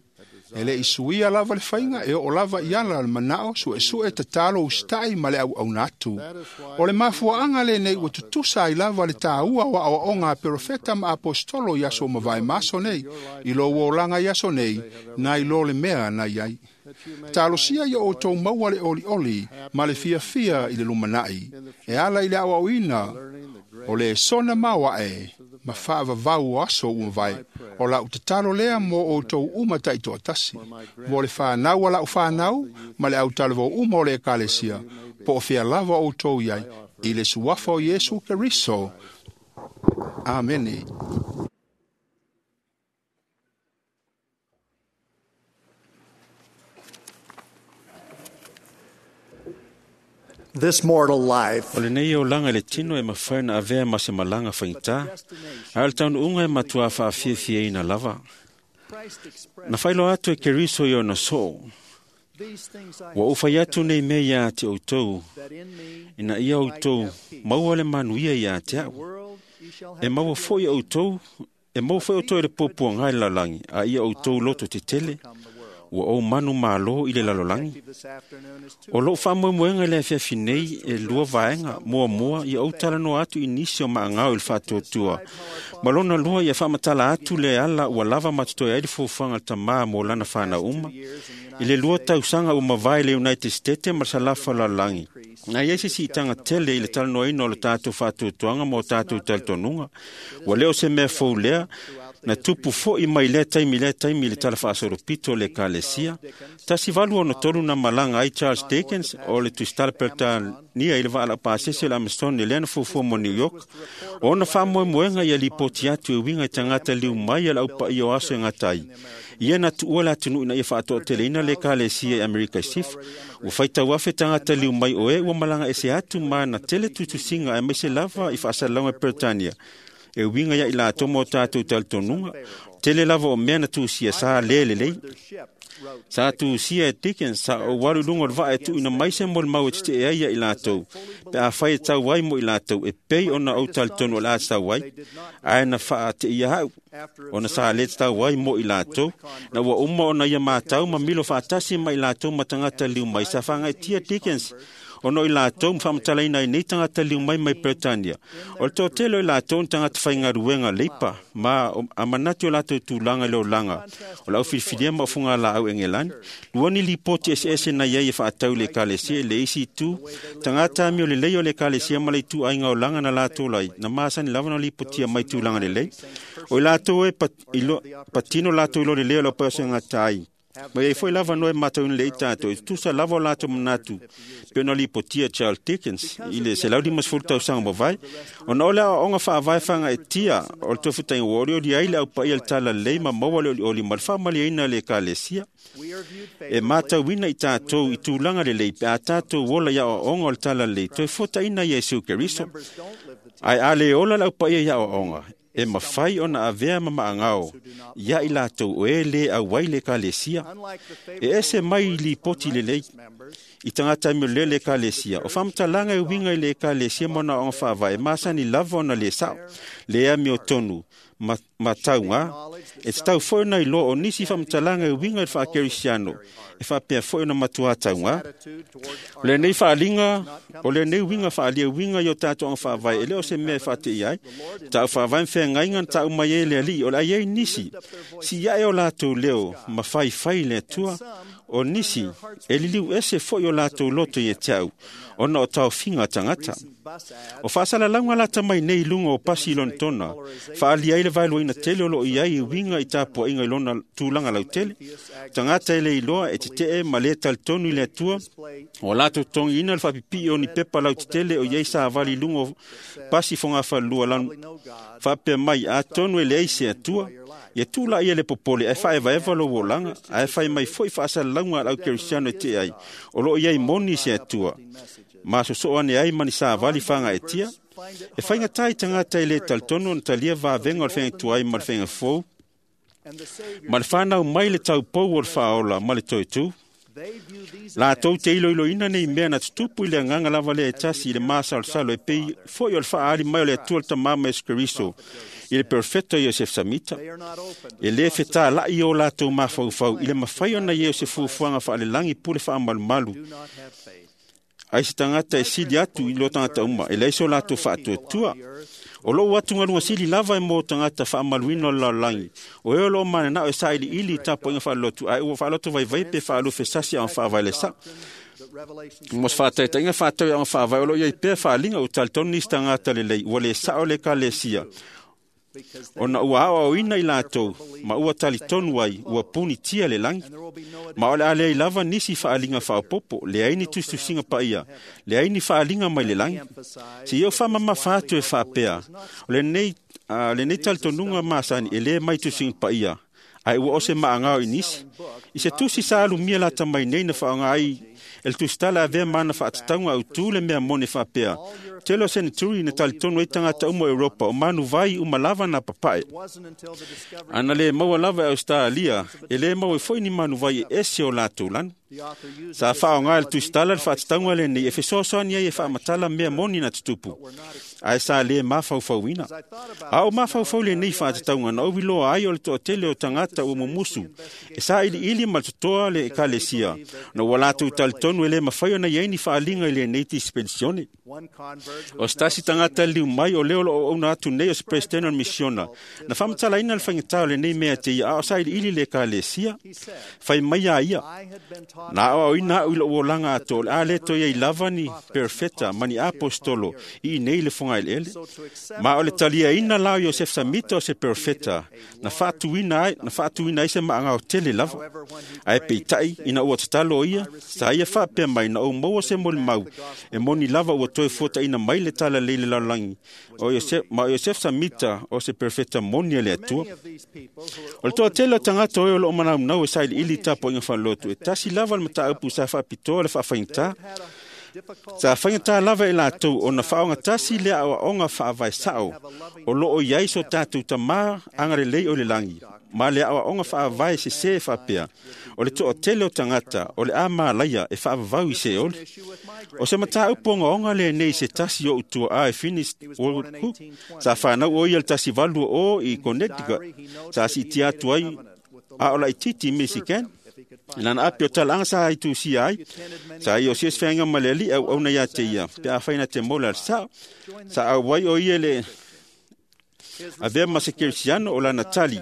E le isuia lava le faiga e oo lava i ala le manao suesue tatalo usitaʻi ma le auauna atu. O le mafuaaga lenei ua tutusa ai lava le tāua o aʻoaʻoga a perofeta ma apostolo i aso o mavae ma aso nei, i lou olaga i aso nei, na i lo le mea na i ai. Talosia ia outou maua le olioli ma le fiafia i le lumanaʻi, e ala i le aʻoaʻoina o le sona maoaʻe ma faavavau o aso ua mavae. O lau tatalo lea mo outou uma taitoatasi, mo le fanau a lau fanau ma le autalavou uma o le ekalesia, po o fea lava outou iai, i le suafa o Iesu Keriso. Amene. This mortal life O lenei olaga i le tino e mafai ona avea ma se malaga faigata, ae o le taunuuga e matuā faafiafiaina lava. Na failoa atu e Keriso i ona soo, Ua ou fai atu nei mea iā te outou, ina ia outou maua le manuia iā te au. E maua foi outou, e maua foi outou i le puapuaga i le lalolagi, a ia outou loto tetele, ua ou manu malo i le lalolagi. O lou faamoemoega i le afiafi nei e lua vaega, muamua ia ou talanoa atu i nisi o maagao i le faatuatua, ma lona lua ia faamatala atu le ala ua lava ma totoe ai le fuafuaga a le Tamā mo lana fanau uma. I le lua tausaga ua mavae le United States ma le Salafa o le lalolagi, na i ai se siitaga tele i le talanoaina o le tatou faatuatuaga ma o tatou talitonuga. Ua le o se mea fou lea, na tupu foi mai lea taimi lea taimi i le tala faasolopito o le Ekalesia. Tasi valu ono tolu na malaga ai Charles Dickens o le tusitala Peretania i le vaa laupasese o le Amazon i lea na fuafua mo New York. O ona faamoemoega ia lipoti atu e uiga i tagata liu mai a le aupaia o aso e gata ai. Ia na tuua le atunuu ina ia faatoateleina le Ekalesia i Amerika i Sifo. Ua faitau afe tagata liu mai o e ua malaga ese atu ma na tele tutusiga aemaise lava i faasalalauga i Peretania. E uiga ia i latou ma o tatou talitonuga, tele lava o mea na tusia sa le lelei. Sa tusia e Dickens sa ou alu i luga o le vaa e tuuina mai se molimau e tetee ai ia i latou, pe afai e tau ai mo i latou e pei ona ou talitonu o le a tatau ai, ae na faateia au, ona sa le tatau ai mo i latou, na ua uma ona ia matau ma milo faatasi ma i latou ma tagata liu mai. Sa faagaitia Dickens ona o i latou ma faamatalaina ai nei tagata liu mai mai Peretania. O le toatele o i latou ni tagata faigaluega leipa, ma a manatu o latou tulaga i le olaga o le aufilifilia ma ofugalaau Engelani. Lua ni lipoti eseese na i ai e faatau i le Ekalesia i le isi itu, tagata amio lelei o le Ekalesia ma le ituaiga olaga na latou lai, na masani lava na lipotia mai tulaga lelei. O i latou e patino latou i lo lelei o le aupaia o se gata ai. Ma iai foi lava noe matauina lelei tatou, e tutusa lava o latou manatu pe ona lipotia Charles Dickens i le selau limasefulu tausaga mavae, ona o le aoaoga faavae fagaetia o le tofutaiga ua olioli ai le aupaia le talalelei ma maua le olioli ma le faamaliaina le Ekalesia. E matauina i tatou i tulaga lelei pe a tatou ola i aoaoga o le talalelei toe fuataina Iesu Keriso. Ae a le ola le aupaia i aoaoga, e mafai ona avea ma maagao ia i latou o e le auai le Ekalesia. E ese mai i lipoti lelei i tagata amio lelei o le Ekalesia. O faamatalaga e uiga i le Ekalesia ma ona aoga faavae e masani lava ona le sao, le amio tonu ma, ma tauga. E tatau foi ona iloa o nisi faamatalaga e uiga i le faakerisiano e faapea foi ona matua tauga. O lenei faaliga, o lenei uiga faaalia uiga i o tatou aoga faavae e le o se mea e faateia ai. Tau faavae ma feagaiga na tau mai ai le Alii, o le a i ai nisi si ae o latou leo ma faifai le Atua, o nisi e liliu ese foi o latou loto ia te au, ona o taofiga tagata. O faasalalauga lata mai nei i luga o pasi i Lonetona, faaalia ai le vaeluaina tele o loo i ai i uiga i tapuaiga i lona tulaga lautele. Tagata e le iloa e tetee ma le talitonu i le Atua, o latou totogiina le faapipii o ni pepa lautetele o i ai savali i luga o pasi fogafalelua lanu faapea mai, atonu e leai se Atua, ia tu laia le popole ae faaevaeva lou olaga, ae fai mai foi faasalalauga a le aukerisiano e tee ai, o loo i ai moni se Atua, ma sosoo ane ai ma ni savali fagaetia. E faigata i tagata e le talitonu ona talia vavega o le feagatuai ma le feagafou, ma le fanau mai le taupou o le faaola ma le toetū. Latou te iloiloina nei mea na tutupu i le agaga lava lea e tasi i le masalosalo e pei foi o le faaali mai o le Atua le Tamā ma Iesu Keriso i le perfeto Iosef Samita. E le fetālai o latou mafaufau i le mafai ona ia o se fuafuaga faalelagi pule faamalumalu ai se tagata e sili atu i lo tagata uma, e leai so latou faatuatua. O lou atugaluga sili lava e mo tagata faamaluina o le lalolagi, o e o loo mananao e sailiili i tapuaiga faalelotu, ae ua faaloto vaivai pe faalufe sasi aoga faavae le sa. Mo se faataitaiga faatau i aoga faavae o loo i ai pea faaliga ua talitonu nisi tagata lelei ua le sao le Ekalesia, ona ua aoaoina i latou ma ua talitonu ai ua punitia le lagi. Ma o le a leai lava nisi faaliga faaopopo, leai ni tusitusiga paia, leai ni faaliga mai le lagi. Se ia o faamamafa atu e faapea, o lenei, uh, lenei talitonuga masani e le mai tusiga paia, ae ua o se maagao i nisi. I se tusi sa alumia lata mai nei na faaaoga ai e le tusitala avea ma ana faatatauga autū le mea moni faapea, tele o seneturi na talitonu ai tagata uma o Europa o manuvai uma lava na papae. Ana lē maua lava e Ausetalia, e lē maua ai foi ni manuvai e ese o latou lanu. Sa faaoga e le tusitala le faatatauga lenei e fesoasoani ai e faamatala mea moni na tutupu, ae sa lē mafaufauina. A o mafaufau lenei faatatauga na ou iloa ai o le toatele o tagata ua mumusu e sailiili ma le totoa le ekalesia, na ua latou talitonu e lē mafai ona i ai ni faaliga i lenei tisipenisione. O se tasi tagata liliu mai o lea o loo auauna atu nei o se peresetene o le misiona, na faamatalaina le faigata o lenei mea te ia a o sailiili le ekalesia. Fai mai a ia, na aoaoina au i lou olaga atoa o le a lē toe iai lava ni perofeta ma ni aposetolo i inei i le fogaeleele. Ma o le taliaina la o Iosefa Samita o se perofeta na faatuina ai, na faatuina ai se maagao tele lava. Ae peitai ina ua tatalo ia, sa ia faapea mai na ou maua se molimau e moni lava ua toe fuataina mai le talalei le lalolagi o Iosef, ma o Iosefa Samita o se perofeta moni a le Atua. O le toatele o tagata o e o loo manaunau e sailiili tapuaiga faalotu, e tasi lava le mataupu sa faapitoa le faafaigata. Sa faigata lava e latou ona faaogatasi le aoaoga faavae sao o loo i ai so tatou tamā agalelei o le lagi, ma le aoaoga faavae sesē faapea, o le toatele o tagata o le a malaia e faavavau i Seoli. O se mataupu ogaoga lenei se tasi o utuaā e Finis World Cook, sa fanau o ia le tasi valu o i Connecticut, sa siitia atu ai a o laititi i Michigan. I lana api o talaaga sa aitusia ai, sa ia o siasi feaga ma le alii auauna ia te ia, pe afai na te mola le sao, sa auai o ia le avea ma se kerisiano o lana tali,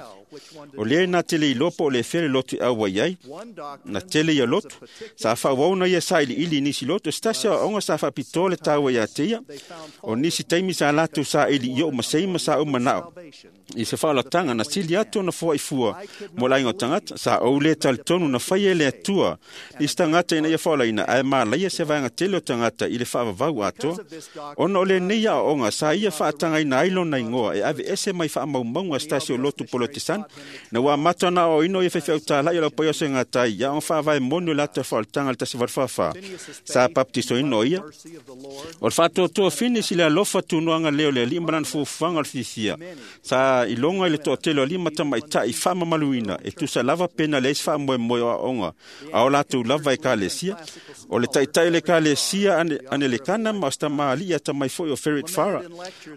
o lea na tele iloa po o le fea le lotu e auai ai, na tele ia lotu, sa faaauauna ia sailiili i nisi lotu, o se tasi aoaoga sa faapitoa le taua ia te ia, o nisi taimi sa latou saili i ou masei ma sa ou manao. I se faaolataga na sili atu ona foaifua mo le aiga o tagata, sa ou lē talitonu na faia e le Atua nisi tagata ina ia faaolaina, ae malaia se vaega tele o tagata i le faavavau atoa. Ona o lenei aoaoga sa ia faatagaina ai lona igoa e aveese mai faamaumauga a se tasi o lotu polotesana, na ua amata ona aoaoina o ia faifeau tāla'i o le aupaia o se gatai i aoga faavae moni o le ata faaolataga le tasi valu fāfā, sa papatisoina o ia. O le faatoatoa Finis i le alofa tunoaga lea o le alii ma lana fuafuaga o le fiafia, sa iloga i le toatele o alii ma tamaitai faamamaluina e tusa lava pe na leai se faamoemoe o aoaoga a o latou lava ekalesia. O le taitai o le ekalesia Anelekana ma o se tamalii atamai foi o Ferret Farah.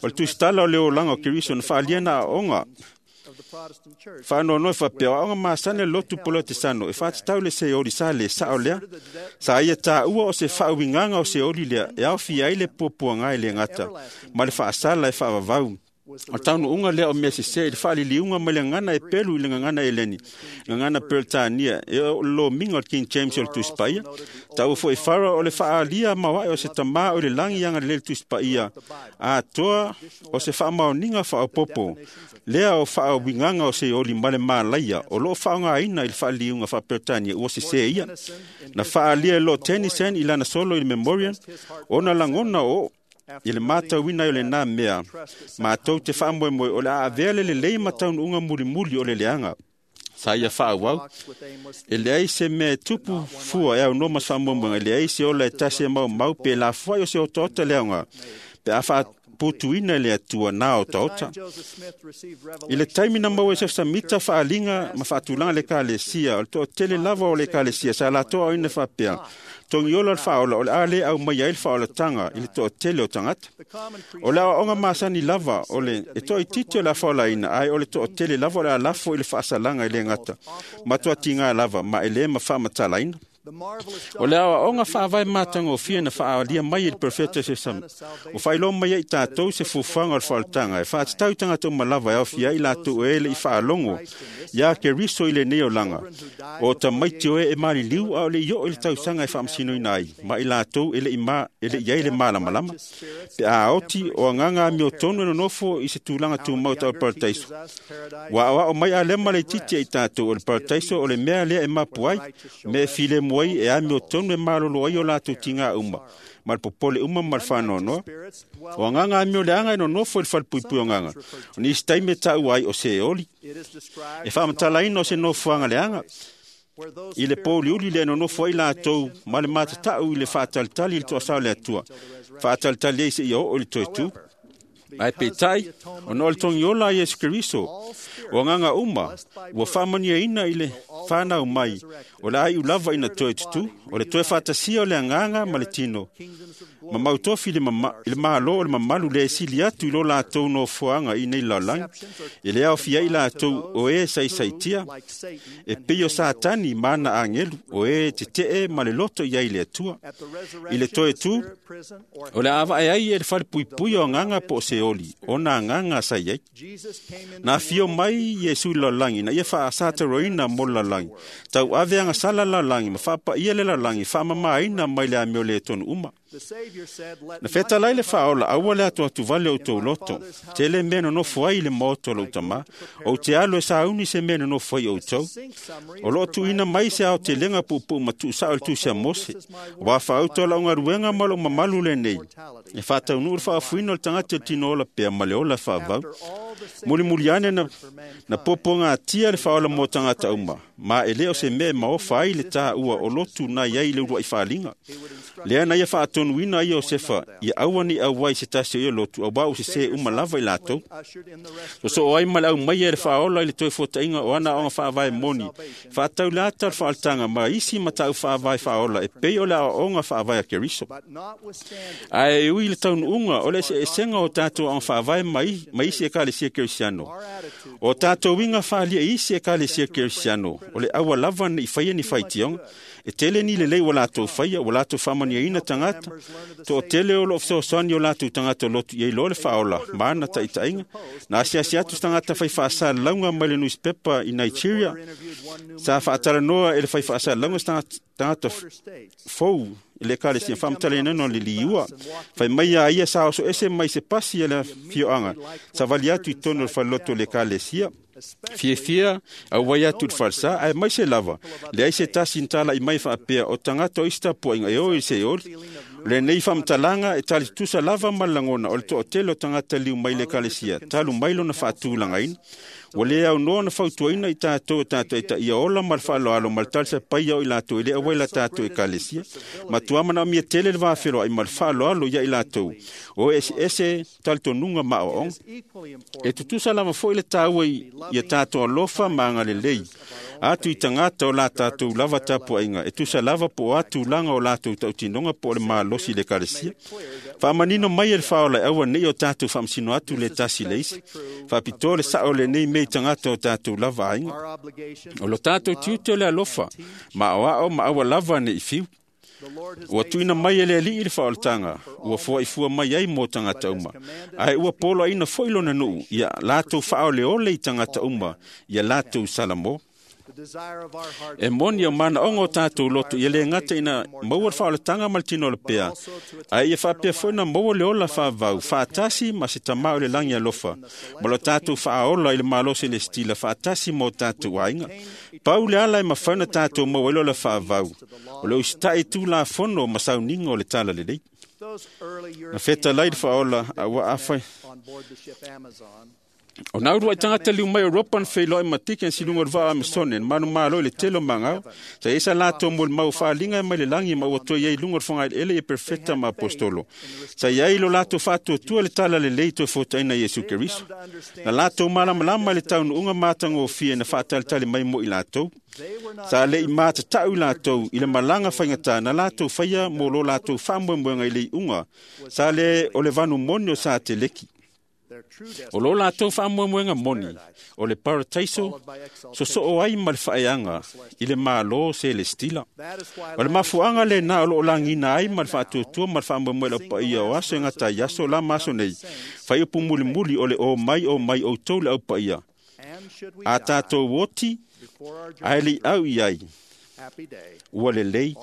O le tusitala o le olaga o Keriso na faaalia na aoaoga faanoanoe faapea, o aoga masani le lotu polotesano e faatatau le Seoli sa lē sao lea. Sa ia taua o se faauigaga o Seoli lea e aofia ai le puapuaga e le gata ma le faasala e faavavau. O le taunuuga lea o mea sesē i le faaliliuga mai le gagana e pelu i le gagana eleni, gagana Peretania, e o le lomiga o le King James o le Tusi Paia. Taua foi e Farah o le faaalia maoae o se tamā o le lagi agalelei le Tusi Paia atoa o se faamaoniga faaopopo lea o faauigaga o Seoli ma le malaia o loo faaaogaina i le faaliliuga faa-Peretania ua sesē ia. Na faaalia e Lord Tennyson i lana solo i le Memorial, ona lagona o i le matauina ai o lenā mea, matou te faamoemoe o le a avea le lelei ma taunuuga mulimuli o le leaga. Sa ia faaauau, e leai se mea e tupu fua e aunoa ma se faamoemoega, e leai se ola e tasi e maumau pe lafoai o se otaota le aoga, pe a faaputuina e le Atua na otaota. I le taimi na maua e Iosefa Samita faaliga ma faatulaga le ekalesia, o le toatele lava o le ekalesia sa latou aoina faapea, togiola le faaola o le a lē aumai ai le faaolataga i le toatele o tagata. O le aoaoga masani lava o le e toaititi o le a faaolaina, ae o le toatele lava o le a lafo i le faasalaga e le gata ma toatigā lava ma e lē mafaamatalaina. O le aoaoga faavae matagofie na faaalia mai e le perofeta Iosefa Samita, o faailoa mai ai i tatou se fuafuaga o le faaolataga e faatatau i tagata uma lava e aofia ai latou e le i faalogo iā Keriso i lenei olaga, o tamaiti o e e maliliu a o le i oo i le tausaga e faamasinoina ai, ma i latou e le i ma, e le i ai le malamalama. Pe a oti o agaga amiotonu e nonofo i se tulaga tumau tau le parataiso. Ua aoao mai Alema laitiiti ai tatou o le parataiso o le mea lea e mapu ai, mea e filemu ai e amiotonu e malolo ai o latou tigā uma, ma le popole uma ma le faanoanoa. O agaga amio leaga e nonofo i le falepuipui o agaga, o nisi taimi e taua ai o Seoli. E faamatalaina o se nofoaga leaga, I le pōliuli le nonofo ai latou ma le matatau i le faatalitali i le toasao le Atua, faatalitali ai seia oo i le toe tu. Ae peitai, ona o le togiola a Iesu Keriso, o agaga uma ua faamanuiaina i le fanau mai, o le aiu lava ina toe tutū, o le toe faatasia o le agaga ma le tino, ma mautofi i le malo o le mamalu le sili atu i lo latou nofoaga i nei lalolagi, e le aofia ai latou o e saisaitia, e pei o Satani ma ana agelu, o e tetee ma le loto i ai le Atua. I le toe tu, o le a vae ai e le falepuipui o agaga po o Seoli, ona agaga sa i ai. Na afio mai Iesu i le lalolagi, na ia faasataroina mo le lalolagi, tauave agasala le lalolagi, ma faapaia le lalolagi, faamamaina mai le amio le tonu uma. Na fetalai le faaola, aua le atuatuvale o outou loto, tele mea nonofo ai i le maota o lou tamā, ou te alu e sauni se mea nonofo ai outou. O loo tuuina mai se aotelega puupuu ma tuusao i le tusi a Mose, ua faauta o lau galuega ma lou mamalu lenei, e faataunuu le faafuina o le tagata i le tino ola pea ma le ola faavavau. Mulimuli ane na, na puapuagatia le faaola mo tagata uma, ma e le o se mea e maofa ai le tāua o lotu na i ai le uluai faaaliga. Lea na ia faatonuina ai Iosefa, ia aua ne i auai se tasi o ia lotu, auā ua sesē uma lava i latou. Sosoo ai ma le aumaia e le faaola i le toe fuataiga o ana aoga faavae moni, faatau le ata o le faaolataga ma isi matau faavae faaola e pei o le aoaoga faavae a Keriso. Ae ui i le taunuuga o le eseesega o tatou aoga faavae ma isi ekalesia kerisiano, o tatou uiga faaalia i isi ekalesia kerisiano, o le aua lava nei faia ni faitioga, e tele ni lelei ua latou faia, ua latou faamanuiaina tagata, toatele o loo fesoasoani o latou tagata lotu i ai loa le faaola ma ana taitaiga. Na asiasi atu se tagata fai faasalalauga mai le newspaper i Nigeria, sa faatalanoa e le fai faasalalauga se tagata fou i le ekalesia faamatalaina o le liua. Fai mai a ia sa oso ese mai se pasi a le afioaga, savali atu i totonu o le falelotu o le ekalesia. Fiafia auai atu i le falesa, ae mai se lava, leai se tasi na talai mai faapea o tagata o isi tapuaiga e o i Seoli. O lenei faamatalaga e talitutusa lava ma le lagona o le toatele o tagata liu mai le ekalesia, talu mai lona faatulagaina. Ua le aunoa na fautuaina i tatou e tatou taia ola ma le faaaloalo ma le talisapaia o i latou e le auai la tatou ekalesia. Matua manaomia tele le vafeloai ma le faaaloalo ia i latou, o e eseese talitonuga ma aoaoga. E tutusa lava foi le taua ia tatou alofa ma agalelei atu i tagata o la tatou lava tapuaiga, e tusa lava po o a tulaga o latou tautinoga po o le malosi i le ekalesia. Faamanino mai e le faaola e aua nei o tatou faamasino atu le tasi le isi, faapitoa le sao o lenei mea i tagata o tatou lava aiga. O lo tatou tiute o le alofa, ma aoao ma aua lava nei fiu. Ua tuuina mai e le Alii le faaolataga, ua foaifua mai ai mo tagata uma, ae ua poloaina foi lona nuu, ia latou faaoleole i tagata uma, ia latou salamo. E moni o manaoga o tatou loto, ia le gata ina maua le faaolataga ma le tino o le pea, ae ia faapea foi na maua le ola faavavau, faatasi ma se tamā o le lagi alofa, ma lo tatou faaola i le malosi le stila, faatasi ma o tatou aiga. Pau le ala e mafai ona tatou maua ai le ola faavavau, o le usitai tulafono ma sauniga o le talalelei. Na fetalai le faaola, aua afai o na uluai tagata liu mai Europa na feiloai ma tiki na siluga o le vaa Amazone, na manumalo i le tele o magao, sa i ai sa latou molimau faaliga mai le lagi ma ua toe i ai i luga o le fogaeleele ia perofeta ma apostolo. Sa i ai lo latou faatuatua le talalelei toe fuataina i Iesu Keriso. Na latou malamalama i le taunuuga matagofie na faatalitali mai mo i latou. Sa le i matatau i latou i le malaga faigata na latou faia mo lo latou faamoemoega i le iuga, sa le o le vanu moni o Sateleki. O lo latou faamoemoega moni o le parataiso sosoo ai ma le faaeaga i le malo selestila. O le mafuaaga lena o loo lagiina ai ma le faatuatua ma le faamoemoe lau paia o aso e gata ai aso la ma aso nei, fai upu mulimuli o le o mai o mai outou le aupaia. A tatou oti, ae le i au i ai, ua lelei,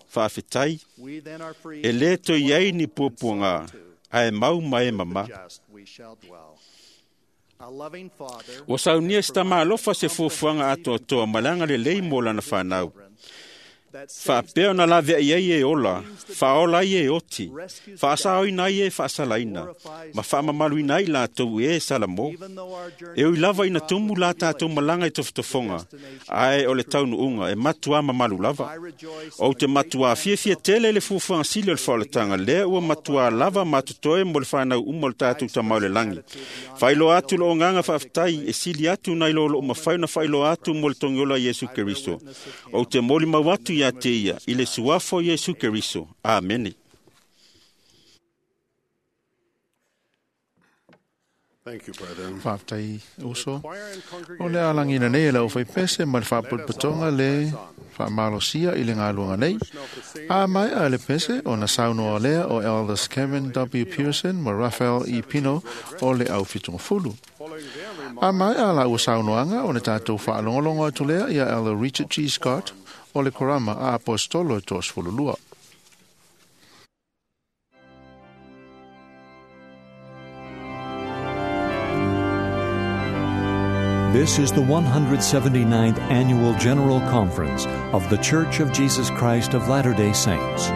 faafetai, e le toe i ai ni puapuaga, ae mau ma e mamā. Ua saunia se tama alofa se fuafuaga atoatoa ma le agalelei mo lana fanau. Faapea ona laveai ai e ola, faaola ai e oti, faasaoina ai e faasalaina, ma faamamaluina ai latou e salamo. E ui lava ina tumu la tatou malaga i tofotofoga, ae o le taunuuga e matuā mamalu lava. Ou te matuā fiafia tele i le fuafuaga sili o le faaolataga, lea ua matuā lava matotoe mo le fanau uma o le tatou Tama o le lagi. Faailoa atu lou agaga faafetai e sili atu nai lo lou mafai ona faailoa atu mo le togiola Iesu Keriso. Ou te molimau atu ia te ia i le suafa o Iesu Keriso. Amene. Thank you, brethren. Faafetai uso. O le alagina nei e lau faipese ma le faapulupatoga le faamalosia i le galuega nei. A mai a le pese ona saunoa lea o Elders Kevin W. Pearson ma Raphael E. Pino o le au fitugafulu. A mai a la ua saunoaga o le tatou faalogologo atu lea ia Elder Richard G. Scott o le Korama a Apostolo e toasefululua. This is the one hundred seventy-ninth Annual General Conference of The Church of Jesus Christ of Latter-day Saints.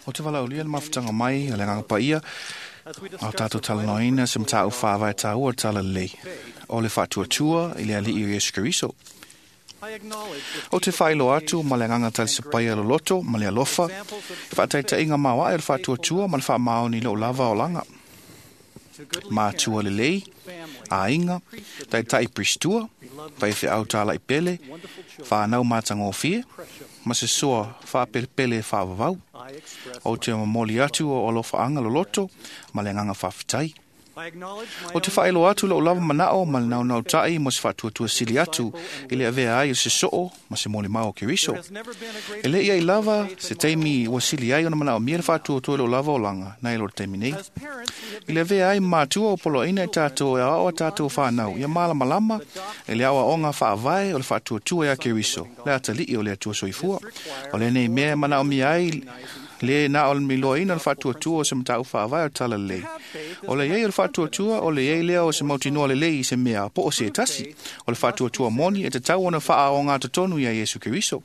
O te walaulia le mafutaga mai a le agaga paia o tatou talanoaina se mataupu faavae taua o le talalelei o le faatuatua i le alii o Iesu Keriso. O te faailoa atu ma le agaga talisapaia loloto ma le alofa e faataitaiga maoae o le faatuatua ma le faamaoni i lou lava olaga. Matua lelei, aiga, taitai pristua, faifeau talai pele, whanau matangofie, ma se soa whaapelepele e whaavavau. O te momoli atu o alofaanga loloto ma le agaga faafetai. O te faailoa atu lou lava manao ma le naunau tai mo se faatuatua sili atu i le avea ai o se soo ma se molimau o Keriso. E le ia i lava se taimi ua sili ai ona manaomia le faatuatua i lou lava olaga nai lo le taimi nei. I le avea ai matua o poloaina i tatou e aoao a tatou whanau ia malamalama e le aoaoga faavae o le faatuatua ia Keriso, le atalii o le Atua soifua. O lenei mea e manaomia ai le na o le miloaina o le faatuatua o se mataupu faavae o le talalelei. O le iai o le faatuatua o le iai lea o se mautinoa lelei i se mea po o se tasi. O le faatuatua moni e tatau ona faaoga totonu ia Iesu Keriso.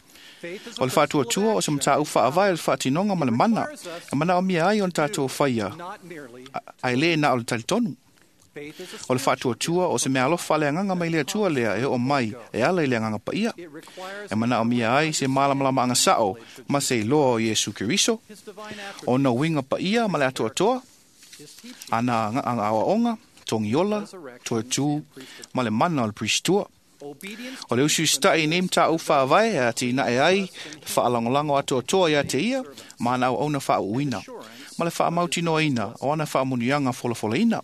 O le faatuatua o se mataupu faavae o le faatinoga ma le mana e manaomia ai ona tatou faia ae le na o le talitonu. O le faatuatua o se mea alofa le agaga mai le Atua lea e oo mai e ala i le agaga paia. E manaomia ai se malamalamaaga sao ma se iloa o Iesu Keriso, ona uiga paia ma le atoatoa, ana aoaoga, togiola, toetū ma le mana o le pristua. O le usiusita'i nei mataupu faavae e atinae ai le faalagolago atoatoa ia te ia ma ana auauna faauuina ma le faamautinoaina o ana faamanuiaga folafolaina.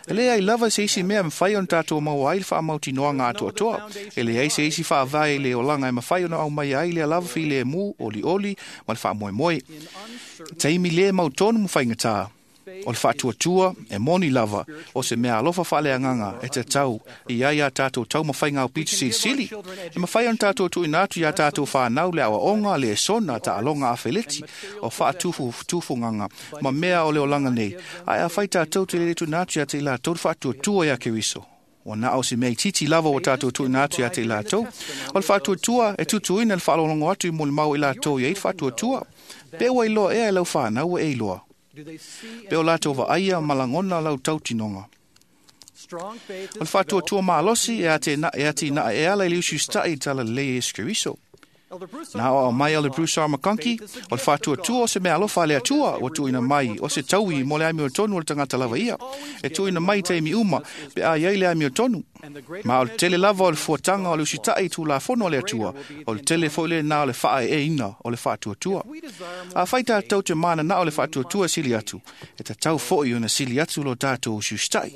E leai lava se isi mea e mafai ona tatou maua ai le faamautinoaga atoatoa. E leai se isi faavae i le olaga e mafai ona aumaia ai lea lava filemu, olioli ma le faamoemoe. I taimi le mautonu ma faigata, o le faatuatua e moni lava o se mea alofa faaleagaga e tatau i ai a tatou taumafaiga aupito silisili. E mafai ona tatou tuuina atu iā tatou fanau le aoaoga, le esona, taaloga afeleti o faatufutufugaga ma mea o le olaga nei, ae afai tatou te le tuuina atu ia te i latou le faatuatua ia Keriso, ua na o se mea itiiti lava ua tatou tuuina atu ia te i latou. O le faatuatua e tutuina le faalogologo atu i molimau i latou i ai le faatuatua. Pe ua iloa ea e lau fanau ua e iloa. Pe o latou vaaia ma lagona lau tautinoga. O le faatuatua malosi e atinae e ala i le usiusita'i i talalelei e Iesu Keriso. Na aoao mai Elder Bruce R. McConkie, o le faatuatua o se mea alofa a le Atua ua tuuina mai o se taui mo le amiotonu o le tagata lava ia, e tuuina mai i taimi uma pe a i ai le amiotonu. Ma o le tele lava o le fuataga o le usita'i i Tulafono a le Atua, o le tele foi lenā o le faaeeina o le faatuatua. Afai tatou te mananao le faatuatua e sili atu, e tatau foi ona sili atu lo tatou usiusita'i.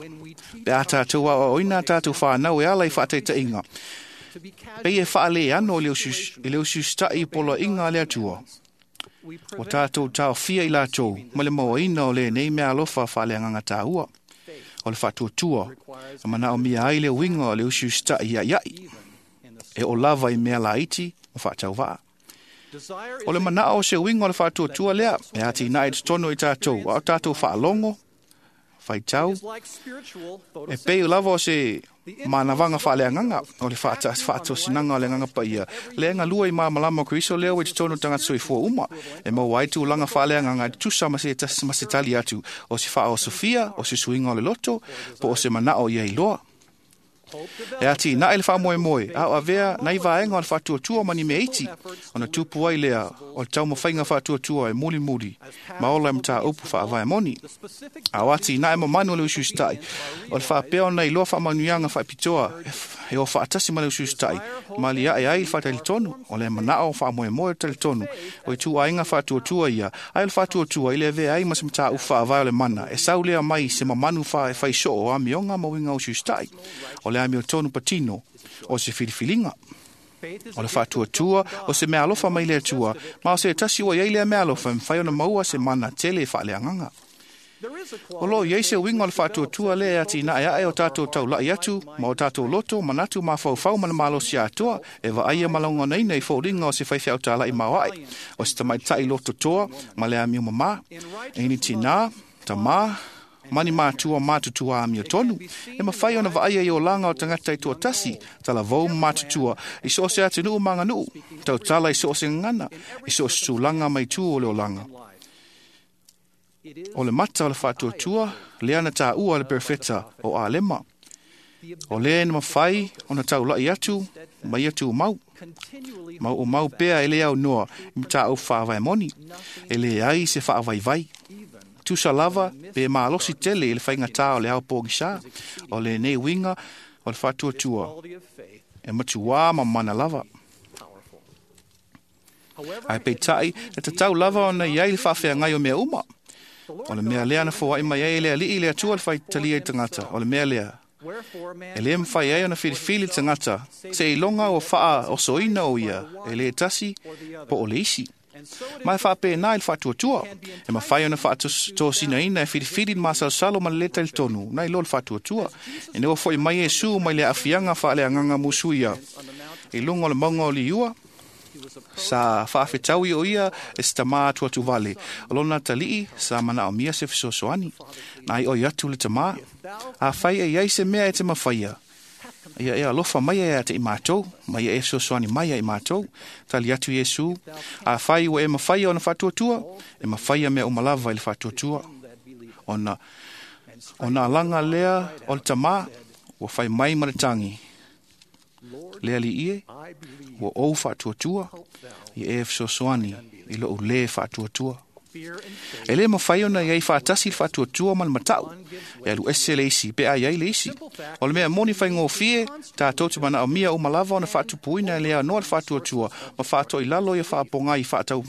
Pe a tatou aoaoina a tatou fanau e ala i faataitaiga, pei e faaleano i le usiusita'i i poloaiga a le Atua, ua tatou taofia i latou ma le mauaina o lenei mea alofa faaleagaga taua. O le faatuatua e manaomia ai le uiga o le usiusita'i ia'ia'i, e oo lava i mea laiti ma faatauvaa. O le manao o se uiga o le faatuatua lea e atinae i totonu i tatou, a o tatou faalogo, faitau, e pei lava o se manavaga faaleagaga o le faatosinaga o le agaga paia lea e galue i malamalama o Keriso lea ua i totonu o tagata soifua uma, e maua ai tulaga faaleagaga e tutusa ma se, ma se tali atu o se faaosofia, o se suiga o le loto, po o se manao ia iloa. E atinae le faamoemoe a o avea nai vaega o le faatuatua ma ni mea iti, ona tupu ai lea o le taumafaiga faatuatua e mulimuli ma ola e mataupu faavae moni. A o atinae mamanu o le usiusita'i, o le faapea ona iloa faamanuiaga faapitoa e o faatasi ma le usiusita'i, ma liae ai le faatalitonu, o le manao faamoemoe o le talitonu, o ituaiga faatuatua ia, ae o le faatuatua i le avea ai ma se mataupu faavae o le mana, e sau lea mai se mamanu faisoo o amioga ma uiga usiusita'i, o le amiotonu patino o se filifiliga. O le faatuatua o se mea alofa mai le Atua, ma o se tasi ua iai lea mea alofa e mafai ona maua se mana tele e faaleagaga. O loo iai se uiga o le faatuatua lea e atinae ae o tatou taula'i atu ma o tatou loto, manatu, mafaufau ma le malosi atoa e vaaia ma lagonaina i foliga o se faifeau tala'i maoaʻe, o se tamaita'i lototoa ma le amio mamā, e ni tinā, tamā, ma ni matua matutua amiotonu, e mafai ona vaaia i olaga o tagata i tuatasi, talavou ma matutua, i so o se atunuu ma aganuu, tautala i so o se gagana, i so o se tulaga ma itu o le olaga. O le mata o le faatuatua, lea na taua le perofeta o Alema. O lea na mafai ona taula'i atu ma ia tumau. Ma o mau pea e le aunoa i mataupu faavae moni, e leai se faavaivai. Tusa lava pe malosi tele i le faigatā o le ao pogisa, o lenei uiga o le faatuatua e matuā ma mana lava. Ae peita'i e tatau lava ona i ai le faafeagai o mea uma. O le mea lea na foa'i mai ai e le Alii le Atua le faitalia i tagata. O le mea lea e le mafai ai ona filifili le tagata seiloga ua faaosoina o ia e le tasi po o le isi. Ma e faapena i le faatuatua, e mafai ona faatosinaina e filifili le masalosalo ma le lē talitonu nai lo le faatuatua. Ina ua fo'i mai Iesu mai le aafiaga faaleagaga musuia i luga o le mauga o Liua, sa faafetaui o ia e se tamā atuatuvale. O lona atalii sa manaomia se fesoasoani. Na ai oi atu le tamā, afai e iai se mea e te mafaia, ia e alofa mai ia te i mātou, ma ia e fesoasoani mai ia i mātou. Tali atu Iesu, afai ua e mafaia ona faatuatua, e mafaia mea uma lava i le faatuatua. Ona, ona alaga lea o le tamā, ua fai mai ma le tagi, le Alii e, ua ou faatuatua, ia e fesoasoani i lou lē faatuatua. E le mawhai ona iai whaatasi le whaatuatua ma le matau. E alu ese le isi, pe ai ai le isi. O le mea moni whaingofie, tātou te mana o mia o malava ona whaatupuina e lea noa le whaatuatua, ma whaatoi lalo ia whaapongai whaatau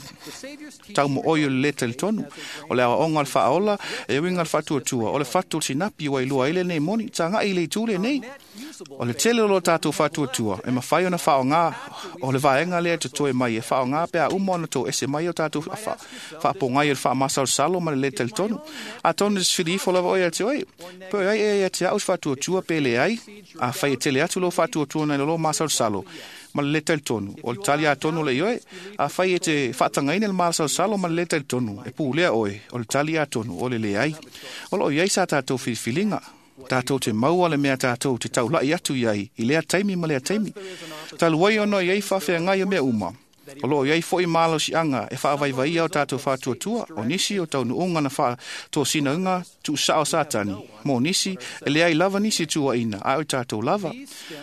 tau mo oi o le leta le tonu. O le awa onga le whaaola, e uinga le whaatuatua. O le whatu o sinapi ua ilua ile nei moni, tānga i le itule nei. O le tele o lo tātou whaatuatua, e mawhai ona whaonga, o le vaenga lea te toe mai, e whaonga pea uma ona tō ese mai o tātou whaapongai o le whaamasal salo ma le le talitonu. A tonu se whiri ifo lava oe a te oe. Pe ai e a te au whaatuatua pe le ai, a whai e tele atu lo whaatuatua nei lo masal salo. Ma le le talitonu. O le tali a tonu le ioe, a whai e te whaatangaina le masal salo ma le le talitonu. E pūlea oe, o le tali a tonu, o le le ai. O lo iai sa tātou whiriwhiringa. Tātou te maua le mea tātou te taulai atu iai, i lea taimi ma lea taimi. Taluai ono iai whawhea ngai o mea uma. O lo iai foi malo si anga e whaavaivaia o tātou whātuatua, o nisi o tau nuunga na wha tō sina unga tu sao satani. Mō nisi, e leai lava nisi tua ina, a o tātou lava.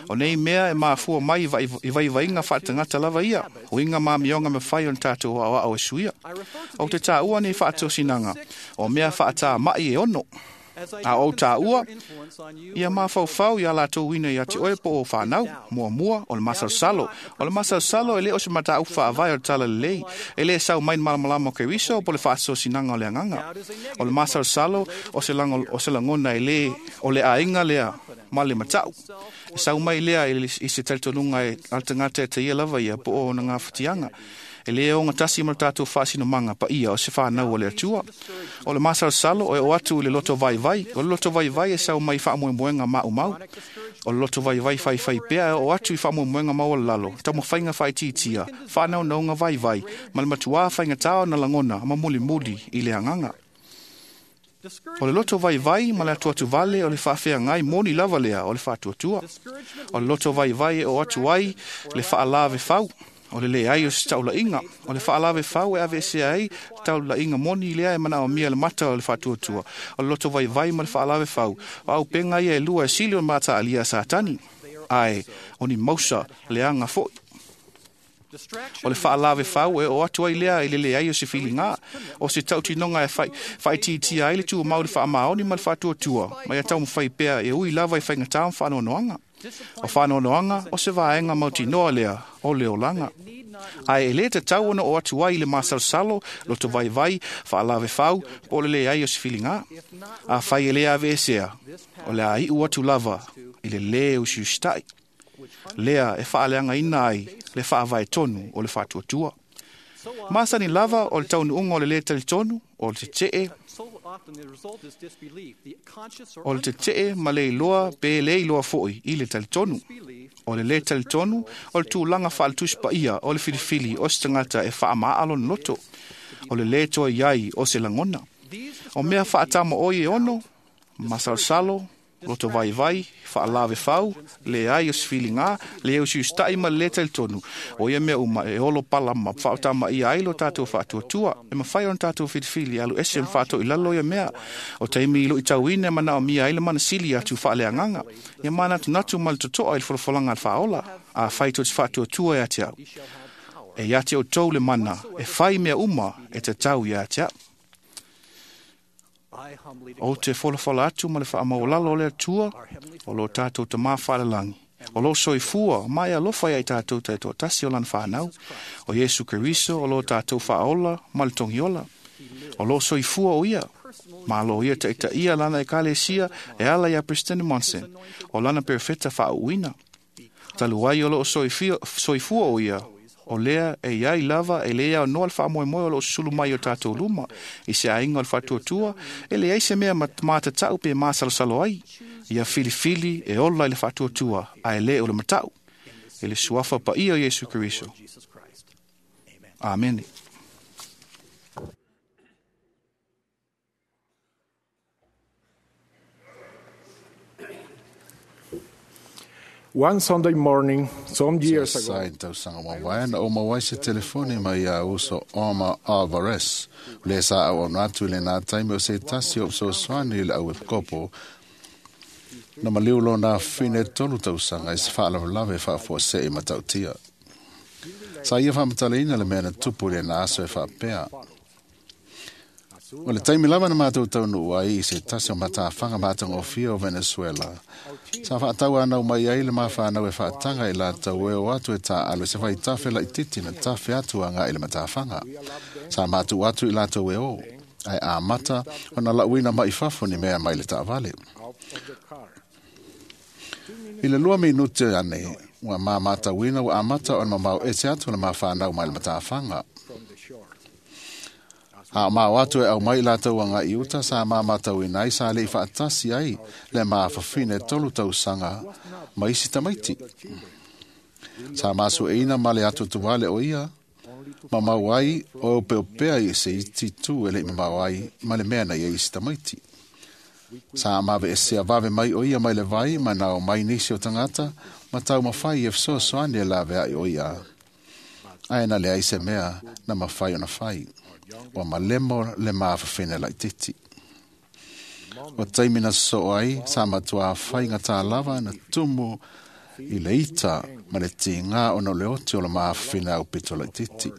O nei mea e mafua mai i vaivainga whaatangata lava ia, o inga mā mionga me whai o tātou o ao e suia. O te tāua nei whaatō o mea whaatā mai e ono. A o tāua, ia mawhauwhau ia lātou ina ia te oe po o whānau, mua mua, o le masalsalo. O le masalsalo e le o se mata uwha avai o tala lelei, e le sau main malamalama o ke wiso o po le whaasosinanga o le anganga. O le masalsalo o se, lango, o se langona e le, o le ainga lea ma le matau. E sau mai lea i se talitonunga e altangata e te ia lava ia po o na ngā whitianga. E lea o ngā tasi ma tātou whaasino manga pa ia o se whānau o le atua. O le masalsalo o e o atu i le loto vai vai. O le loto vai vai e sau mai whaamoemoenga mau mau. O le loto vai vai whai whai pea e o atu i whaamoemoenga mau o lalo. Tau whainga whai titia. Whānau naunga vai vai. Ma le matua whainga tāo na langona ma muli muli i le anganga. O le loto vai vai ma le atu atu vale o le whaawhea ngai moni lava lea o le whaatuatua. O le loto vai vai e o atu ai le whaalave whau. O le le ai o se taulainga. O le whaalave whau e ave se ai taulainga moni lea e mana o mia le mata o le whaatuatua. O le loto vai vai ma le whaalave whau. O au penga ia e lua e sili o mata alia satani. Ai, o ni mausa le anga foi. O le whaalave whau e o atu ai lea i le le ai o se whiringa. O se tautinonga e whai, whai titia ai le tua mau le whaamaoni ma le whaatuatua. Mai a tau mwhai pea e ui lava i whaingatau whanonoanga. O whanonoanga o se vaenga mautinoa lea o le olanga. Ai e le te tau ona o atu ai le masalsalo, loto vai vai, whaalave whau, po le le ai o se whiringa. A whai e le ave esea, o le ai u atu lava i le le o siustai. Lea e whaaleanga ina ai le whaavai tonu o le whaatuatua. Masani lava o le taunuunga o le le talitonu, o le te tee, o le te tee ma le iloa pe le iloa foi i le talitonu. O le le talitonu, o le tūlanga whaaltuspa ia, o le whiriwhiri, o se tangata e whaamaalo loto. O le le toa iai o se langona. O mea whaatama oi e ono, masalsalo, loto vai vai, whaalave whau, le ai o se whiringa, le o siustai ma le talitonu. O ia mea uma e olo palama, whaatama ia ai lo tātou whaatuatua, e mawhai on tātou whiriwhiri, alu ese mwhaato i lalo ia mea. O teimi i lo i tauine mana o mia ai le mana sili atu whaaleanganga. Ia mana tunatu ma le totoa i le whalafolanga al whaola, a whai to te whaatuatua e ate au. E ia te o tau le mana, e whai mea uma e te tau ia ate au. O te wholafola atu ma le whaamaolalo o le atua, o lo tātou te māwhalalangi. O lo soifua, mai alofa ia i tātou te tō tasi o lan whanau. O Yesu Keriso, o lo tātou whaola, ma le tongiola. O lo soifua o ia, ma lo ia te ita ia lana e kalesia e ala ia President Monson. O lana perfeta whaauina. Taluai o lo soifua o ia, o lea e iai lava e lea o noa le whaamoemoe o lo sulu mai o tātou luma. I se ainga o le whaatuatua, e lea i se mea mātatau pe māsalosalo ai. Ia whiliwhili e ola i le whaatuatua, a e le o le matau. E le suafa pa ia o Yesu Keriso. Amen. One Sunday morning, some years ago, Sai tausanga mawaena o mawai se telefone mai ia uso Oma Alvarez. Le sa au ono atu le nā taimi o se tasi o psosoani le au e kopo. Na maliu lo nā whine tolu tausanga i se whaalavalawe whaafua se i matautia. Sa ia whamataleina le mea na tupu le nā aso e whaapea. O le taimi lava na mātou taunuu ai i se tasi o matafaga matagofie o Venezuela. Sa faatauanau mai ai le mafanau e faataga i latou e o atu e taaalo i se faitafe laitiiti na tafe atu agai i le matafaga. Sa matou atu i latou e o, ae amata ona lauina mai fafo ni mea mai le taavale. I le lua minute ane, ua mamatauina ua amata ona mamao ese atu le mafanau mai le matafaga. A o mao atu e aumai latou agai i uta sa mamatauina ai sa le'i faatasi ai le mafafine tolu tausaga ma isi tamaiti. Sa masueina ma le atuatuale o ia, mamau ai o opeopea i se iti tu e le'i mamao ai ma le mea na ia isi tamaiti. Sa maveesea vave mai o ia mai le vai ma nao mai nisi o tagata ma taumafai e fesoasoani e laveai o ia. Ae na leai se mea na mafai ona fai. Ua malemo le mafafine laitiiti. O taimi na sosoo ai, sa matuā faigata lava na tumu i le ita ma le tigā ona o le oti o le mafafine aupito laitiiti.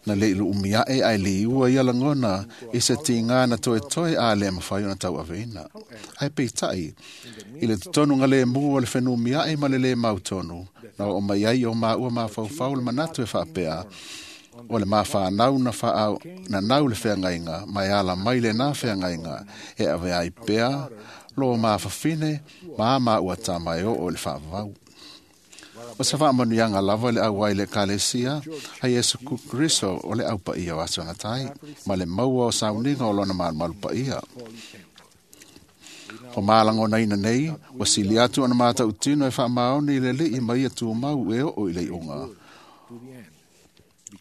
Na le'i lu'umi a'e ae liua ia lagona i se tigā na toetoe a le mafai ona tauaveina. Ae peita'i, i le totonuga lemu o le fenumia'i ma le lē mautonu, na oo mai ai o maua mafaufau le manatu e faapea, o le mafanau na faaau na nau le feagaiga ma e ala mai lenā feagaiga e ave ai pea lo mafafine ma a maua tama e oo i le faavavau. O se faamanuiaga lava le auai le ekalesia a Iesu Keriso o le aupaia o aso agatai ma le maua o sauniga o lona malumalu paia. O malagonaina nei, ua sili atu ona matautino e faamaoni i le alii ma ia tumau e oo i le iuga.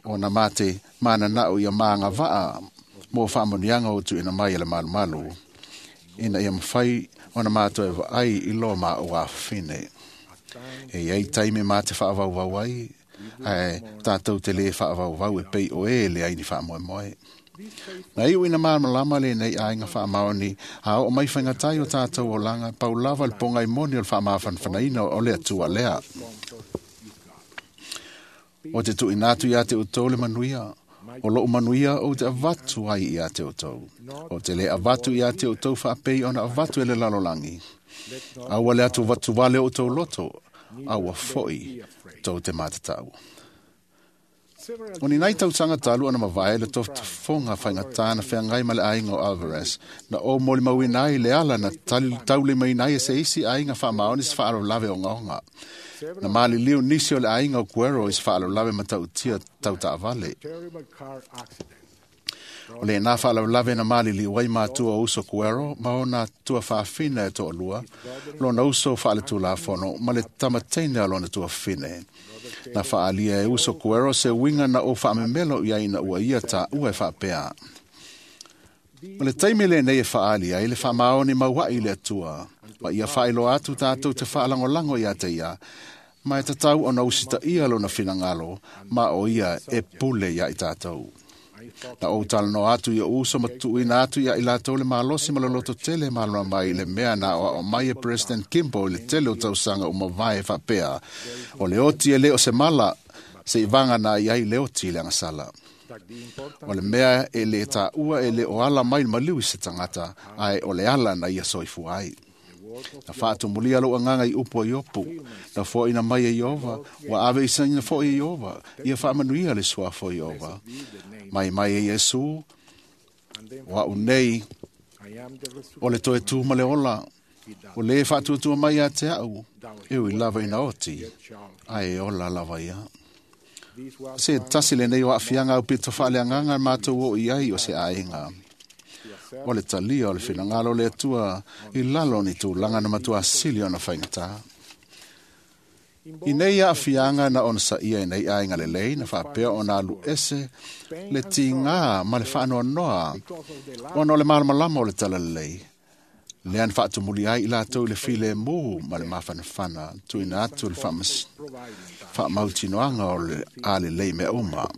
Ona mate mananao ia magavaa mo faamanuiaga o tuuina mai e le malumalu, ina ia mafai ona matou e vaai i lo maua afafine. E iai taimi ma te faavauvau ai, ae tatou te lē faavauvau e pei o e leai ni faamoemoe. Na iu ina malamalama lenei aiga faamaoni a oo mai faigatai o tatou olaga pau lava le pogai moni o le faamafanafanaina o le Atua lea. O te tuuina atu iā te outou le manuia, o lou manuia ou te avatu ai iā te outou. O te lē avatu iā te outou faapei ona avatu e le lalolagi. Aua le atu vatuvale o outou loto, aua fo'i tou te matatau. O ni nai tausaga talu ona mavae le tofotofoga faigatā na feagai ma le aiga o Alvarez, na o molimauina ai le ala na taulimaina ai e se isi aiga faamaoni se faalavelave ogaoga. Na maliliu nisi o le aiga o Guero i se faalavelave matautia tautaavale. O lenā faalavelave na maliliu ai matua o uso Guero ma ona tuafaafine e toalua, lona uso faaletulafono ma le tamateine a lona tuafafine. Na faalia e uso Guero se uiga na ou faamemelo i ai ina ua ia taua e faapea. O le taimi lenei e faaali ai le faamaoni maua'i i le Atua, ma ia faailoa atu tatou te faalagolago iā te ia, ma e tatau ona usitaia lona finagalo, ma o ia e pule iā i tatou. Na ou talanoa atu i o uso ma tuuina atu ia i latou le malosi ma le loto tele malama mai i le mea na aoao mai e President Kimball i le tele o tausaga uma vae faapea, o le oti e le o se mala, se i vaga na i ai le oti i le agasala. O le mea e le taua e le o ala mai le maliu i se tagata, ae o le ala na ia soifua ai. Na faatumulia lou agaga i upu a Iopu, na foaina mai e Iova, ua ave isaina foi e Iova, ia faamanuia le suafa o Iova. Mai mai e Iesu, o a'u nei, o le toe tu ma le ola, o lē faatuatua mai ia te a'u, e ui lava ina oti, ae e ola lava ia. Se tasi lenei o aafiaga aupito faaleagaga matou oo i ai o se aiga. O le talia o le finagalo o le Atua i lalo o ni tulaga na matuasili ona faigatā. I nei aafiaga na ona saia i nei aiga lelei na faapea ona alu ese le tigā ma le faanoanoa ona o le malamalama o le talalelei. Lea na faatumuli ai i latou i le filemu ma le mafanafana tuuina atu le faamautinoaga o le alelei mea uma.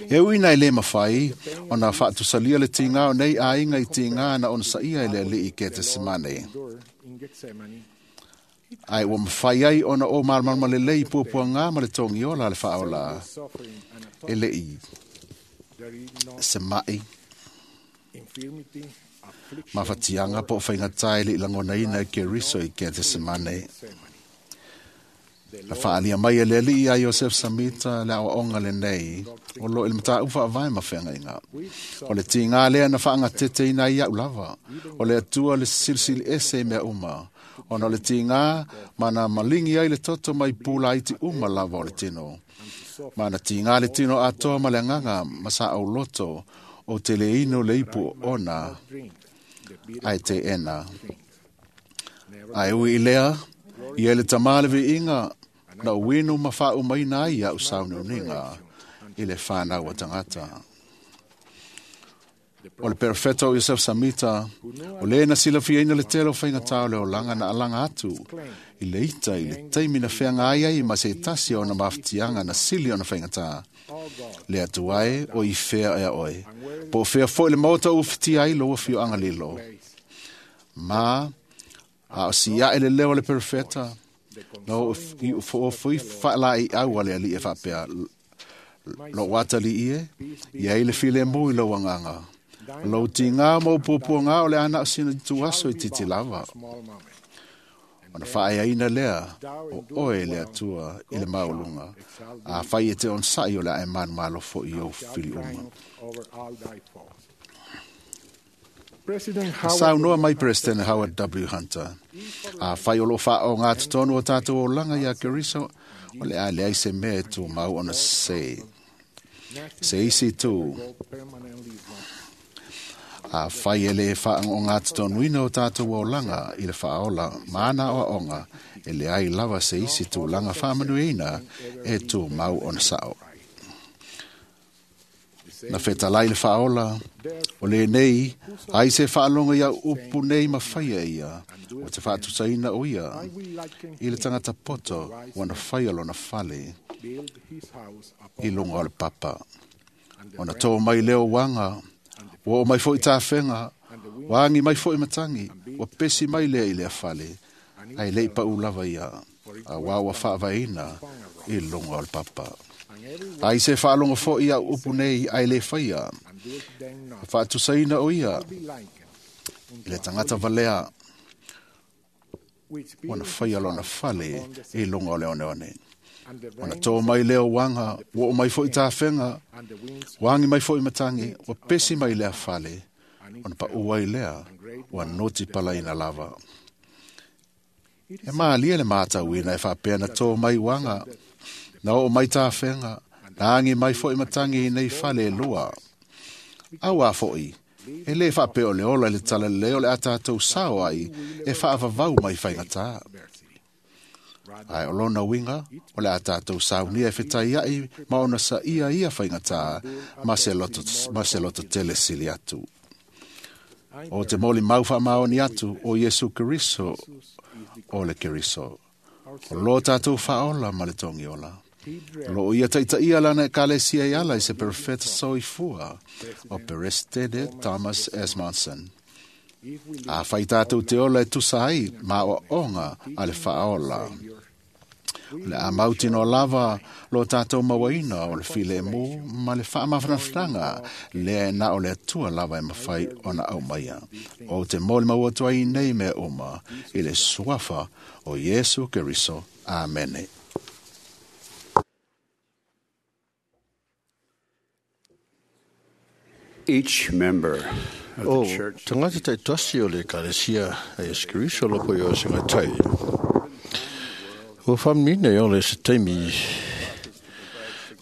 E uina e lē mafai ona faatusalia le tigā o nei aiga i tigā na ona saia e le alii Ketesemane. Ae ua mafai ai ona o malamalama lelei i puapuagā ma le togiola a le faaola e le'i Se mai, mafatiaga po o faigata e leʻi lagonaina e Keriso i Ketesemane. Na faaalia mai e le Alii ia Iosef Samita le aoaoga lenei o loo i le mataupu faavae ma feagaiga. O le tigā lea na faagateteina ai iaʻu lava, o le Atua le silisili ese i mea uma, ona o le tigā ma na maligi ai le toto mai pulaiti uma lava o le tino. Ma na tigā le tino atoa ma le agaga ma sa auloto o te le ino le ipu ona ae teena. Ae ui i lea, ia le tamā le viiga na uinu ma faaumaina ai iaʻu sauniuniga i le fanau a tagata. O le perofeta o Iosef Samita, o lē na silafiaina le tele o faigatā o le olaga na alaga atu i le ita i le taimi na feaga ai ai ma se tasi o ona mafatiaga na sili ona faigatā. Le Atua e o i fea ea oe, po o fea foʻi le maota ua fitia ai lou afioaga lilo. Ma a o siaʻe le leo o le perofeta, na o foofui faalaeiau a le Alii e faapea, lou atalii e, ia ai le filemu i lou agaga. Lou tigā ma ou puapuagā o le ana o sina tuaso i titi lava. Ona faaeaina lea o oe le Atua i le maualuga, afai e te onosaʻi o le a e manumalo foʻi i ou fili uma. Na saunoa mai Peresetene Howard W. Hunter, afai o loo faaogā totonu o tatou olaga iā Keriso, o le a leai se mea e tumau ona sesē. Se isi tū, afai e lē faaogā totonuina o tatou olaga i le faaola ma ana aoaoga, e leai lava se isi tulaga faamanuiaina e tumau ona saʻo. Na fetalai le faaola, o lenei, ai se faalogo iau upu nei ma faia ia, o te faatusaina o ia, i le tagata poto ua na faia lona fale i luga o le papa. Ona tō mai leo uaga, ua oo mai foʻi tafega, ua agi mai foʻi matagi, ua pesi mai lea i lea fale, ae leʻi paʻu lava ia, auā ua faavaeina i luga o le papa. Ai se faalogo foʻi au upu nei ae lē faia, e faatusaina o ia i le tagata valea ua na faia lona fale i luga o le oneone. Ona tō mai lea uaga, ua oo mai foʻi tafega, ua agi mai foʻi matagi, ua pesi mai lea fale, ona paʻu ai lea ua noti palaina lava. E malie le matauina e faapea na tō mai uaga, na oo mai tafega, na agi mai foʻi matagi i nei fale e lua. Auā foʻi, e lē faapea o le ola i le talalelei o le a tatou sao ai e faavavau mai faigatā. Ae o lona uiga, o le a tatou saunia e fetaiaʻi ma ona saʻia ia faigatā ma se loto, ma se loto tele sili atu. O te molimau faamaoni atu o Iesu Keriso o le Keriso. O lo tatou faaola ma le togiola. Loo ia taitaia lana ekalesia e ala i se perofeta soifua o Peresetene Thomas S. Monson. Afai tatou te ola e tusa ai ma aoaoga a le faaola. O le a mautinoa lava lo tatou mauaina o le filemu ma le faamafanafanaga lea e na o le Atua lava e mafai ona aumaia. O te molimau atu ai nei mea uma i le suafa o Iesu Keriso. Amene. Each member of O the church tagata taitasi o le ekalesia a Iesu Keriso loko i o singa tai. Ua whamnina i ole se taimi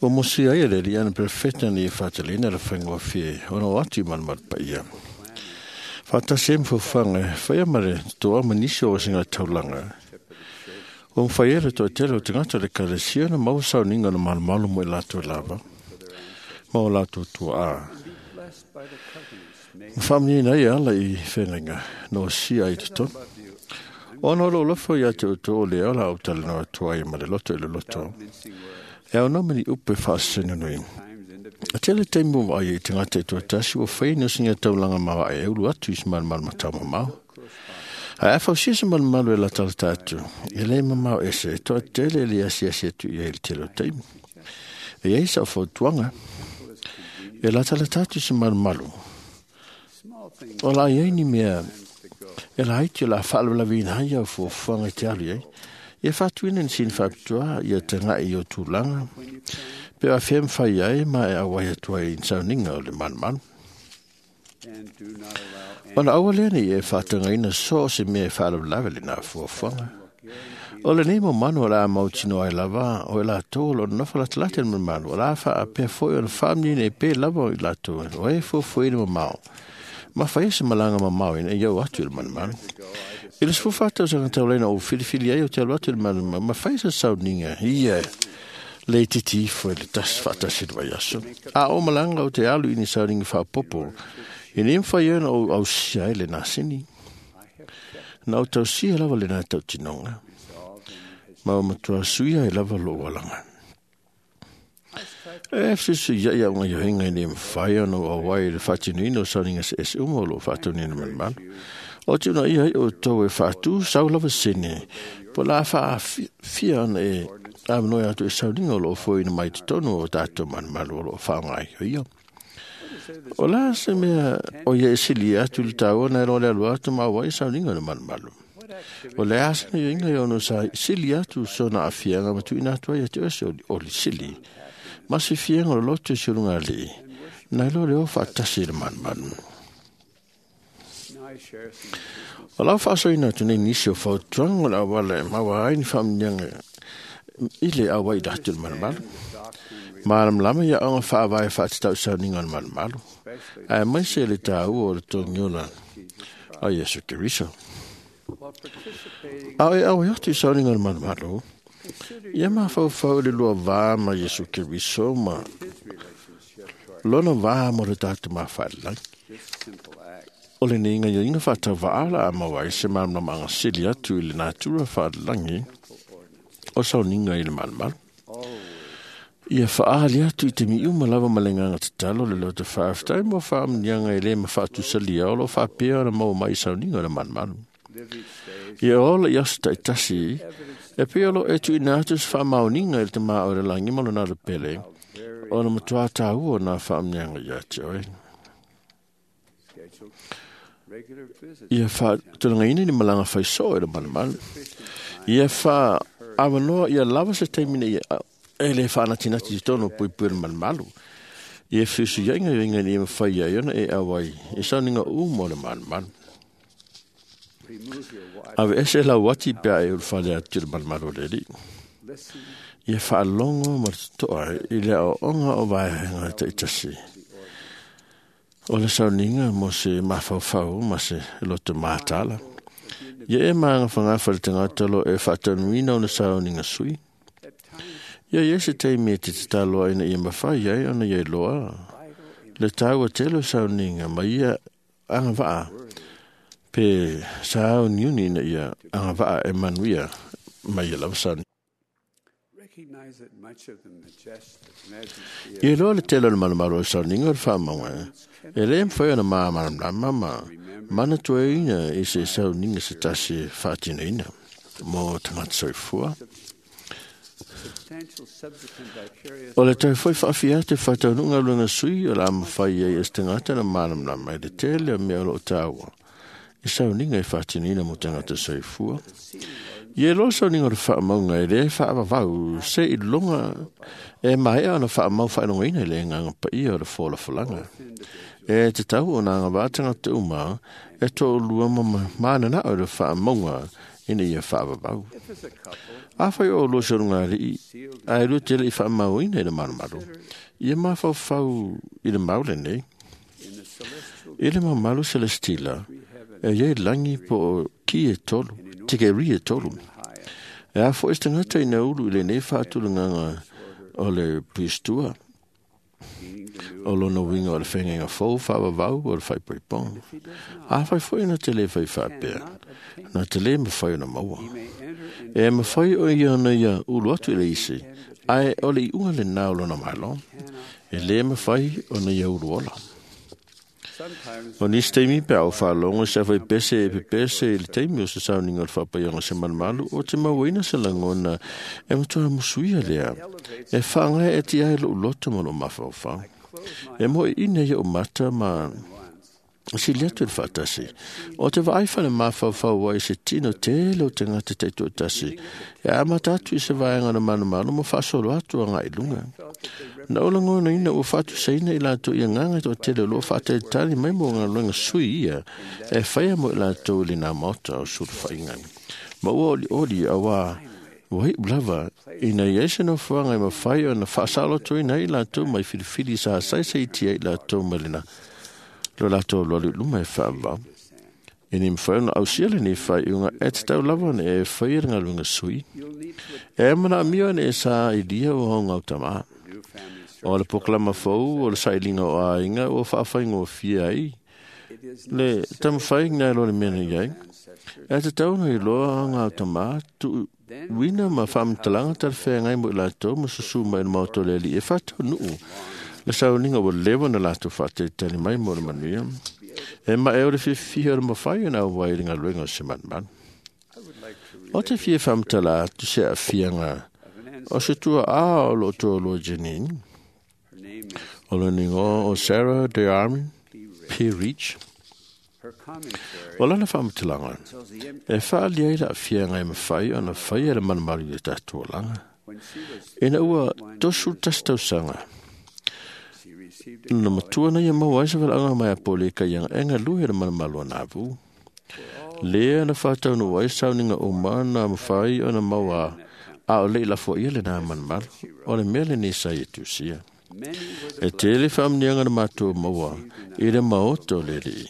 o mosi ai le li ana perfecta ni whatalina le whaingoa fie ona o atu i manumanu paia. Whatasi e mwhawhanga, whaia mare toa manisi o singa taulanga. O mwhaiere toa tele o tagata le ekalesia na maua sauninga na malumalu mo i lātou lava, ma o lātou tua a. Whamnina i ala i whengainga, no sia i te tonu. Ona o lo lofo ia te uto o le ala o tale noa tua i ma le loto i le loto. E au mani upe whaasenu nui. A tele teimu wa ai i te ngata i tua tasi o whai no singa taulanga mawa e ulu atu i smalu malu matau mamau. A e whausia se malu malu e la tala tātu. E le mamau ese e toa tele le asi asi atu i e le tele o teimu. E ei sa o whautuanga. E latalata atu i se malumalu. O la iai ni mea e laiti o la faalavelaveina ai au fuafuaga i te alu i ai. Ia faatuina ni sini faapitoa ia taga'i i o tulaga pe o afea mafai ai ma e auai atu ai i ni sauniga o le malumalu. Ona aua lea nei e faatagaina so o se mea e faalavelave lenā fuafuaga. O lenei maumanu o le a mautinoa ai lava o i latou o loo nonofo latalata i le malumalu, o le a faapea foi ona faamanuiaina ai pea lava o i latou o e fuafuaina mamao ma faia se malaga mamao ina ia oo atu i le malumalu. I le sefulu fa tausaga taulaina ou filifili ai o te alu atu i le malumalu ma faia se sauniga ia le itiiti ifo i le tasi faatasi i le vaiaso. A o malaga o te alu i ni sauniga faaopoopo, ina ia mafai ai ona ou ausia ai lenā sini. Na ou tausia lava lenā tautinoga, ma ua matua suia ai lava lou alaga. E fesuisuia'i a'uga ioiga ina ia mafai ona ou auai i le faatinoina o sauniga eseese uma o loo faataunuuina malumalu. O te unaia ai outou e faatū sau lava sene, po o le a faaafia ona e avanoe atu i sauniga o loo foeina mai totonu o tatou malumalu o loo faaaoga ia. O la se mea o ia e silia atu i le taua na e loa le alu atu ma auai i sauniga o le malumalu. O le a se ioiga e ono sa sili atu sona aafiaga ma tuuina atu ai ia te oe se oli sili ma se fiaga o le loto i se ulugalii nai lo le o faatasi i le malumalu. O lau faasoaina atu nei nisi o fautuaga o le auala e maua ai ni faamanuiaga i le auai i atu i le malumalu. Malamalama ia aoga faavae faatatau i sauniga o le malumalu, aemaise le taua o le togiola a Iesu Keriso. A o e auai atu i sauniga o le malumalu, ia mafaufau i le lua va ma Iesu Keriso ma lona va mo le tatou mafaalelagi. O lenei gaioiga faatauvaa o le a maua ai se malamalamaga sili atu i le natura faalelagi o sauniga i le malumalu. Ia faaali atu i taimi uma lava ma le agaga tatalo le loto faafetai mo faamanuiaga e lē mafaatusalia o loo faapea ona maua mai i sauniga o le malumalu. Ia ola i aso taitasi e pei o loo e tuuina atu se faamaoniga i le tamā o le lagi ma lona lepele ona matuā taua o nā faamanuiaga ia te oe. Ia faatulagaina ni malaga faisoo i le malumalu. Ia faaavanoa ia lava se taimi ina ia e le faanatinati i totonu o puipui o le malumalu. Ia fesuisuia'i gaoioiga ina ia mafai ai ona e auai i sauniga uma o le malumalu. Aveese lau ati pe a e ulufale atu i le malumalu o le Alii. Ia faalogo ma le toto'a i le aoaoga o vaega taitasi o le sauniga mo se mafaufau ma se loto matala. Ia e magafagafa i le tagata o loo e faataunuuina ona sauniga sui. Ia ia se taimi e te tatalo ai ina ia mafai ai ona ia iloa le taua tele o sauniga ma ia agavaa pe sauniuni ina ia agavaa e manuia ma ia lava sauniga. Ia iloa le tele o le malumalu o le sauniga o le faamauga e lē mafai ona malamalama ma manatuaina i se sauniga se tasi e faatinoina mo tagata soifua. O le toe foi faafia atu e faataunuuga galuega sui o le a mafai ai e se tagata na malamalama i le tele o mea o loo taua i sauniga e faatinoina mo tagata soifua. Ia iloa le sauniga o le faamauga e lē faavavau se i luga e maea ona faamau faailogaina i le agaga paia o le folafolaga. E tatau ona agavaa tagata uma e toalua ma mananao i le faamauga ina ia faavavau. Afai o oulua se ulugalii ae lua te le'i faamauina i le malumalu, ia mafaufau i le mau lenei. I le mamalu selestila, e iai lagi po o ki e tolu, tikeri e tolu. E a foi se tagata ina ulu i lenei faatulagaga o le puistua, o lona uiga o le fegaiga fou faavavau o le faaipoipoga. Afai foi na te lē fai faapea, na te lē mafai ona maua. E mafai o ia ona ia ulu atu i le isi, ae o le iuga lenā o lona malo, e lē mafai ona ia ulu ola. O nisi taimi pe a ou faalogo i se afaipese e pepese i le taimi o se sauniga o le faapaiaga o se malumalu, o te mauaina se lagona e matua musuia lea, e faagae eti ai lou loto ma lou mafaufau. E mo ina i o mata ma sili atu le faatasi. O te vaai fale mafaufau ai se tino tele o te ngata te tasi. E amata atu i se vaega na manumanu ma faasolo atu agai i luga. Na o lagona ina ua faatusaina i latou i agaga toatele o loo faatalitali mai mo galuega sui ia e faia mo i latou i lena maota o sulufaiga. Ma ua olioli auā ua iu lava ina ia se nofoaga e mafai ona faasalotoina ai i latou mai filifili sa saisaitia i latou ma lena lo latou alualu i luma e faavavau. E ni mafai ona ausia lenei faaiuga e tatau lava ona e faia le galuega sui. E manaomia ona e sailia o hogautamā. O le pokalama fou o le sailiga o aiga ua faafaigofie ai le taumafaiga e lo le mea na i ai. E tatau ona iloa gautamā tuuina ma faamatalaga talafeagai mo i latou ma susū mai i le maota o le Alii e faataunuu le sauniga ua leva ona latou faatalitali mai mo le manuia. E mae o le fiafia o le mafai ona auai i le galuega o se manumanu. O te fia faamatala atu se aafiaga o se tuaā o loo toalua Janine, o lona igoa o Sarah De Armin P. Reach. O lana faamatalaga e faaalia ai le aafiaga e mafai ona faia le malumalu i le tatou olaga. Ina ua tosu tasi tausaga, na matua na ia maua ai se valaauga mai a Poleka ia e galue le malumalu a Navu. Lea na faataunuu ai sauniga uma na mafai ona maua a o le i lafoia lena malumalu o le mea lenei sa ia tusia. E tele faamanuiaga na matou maua i le maota o le Alii.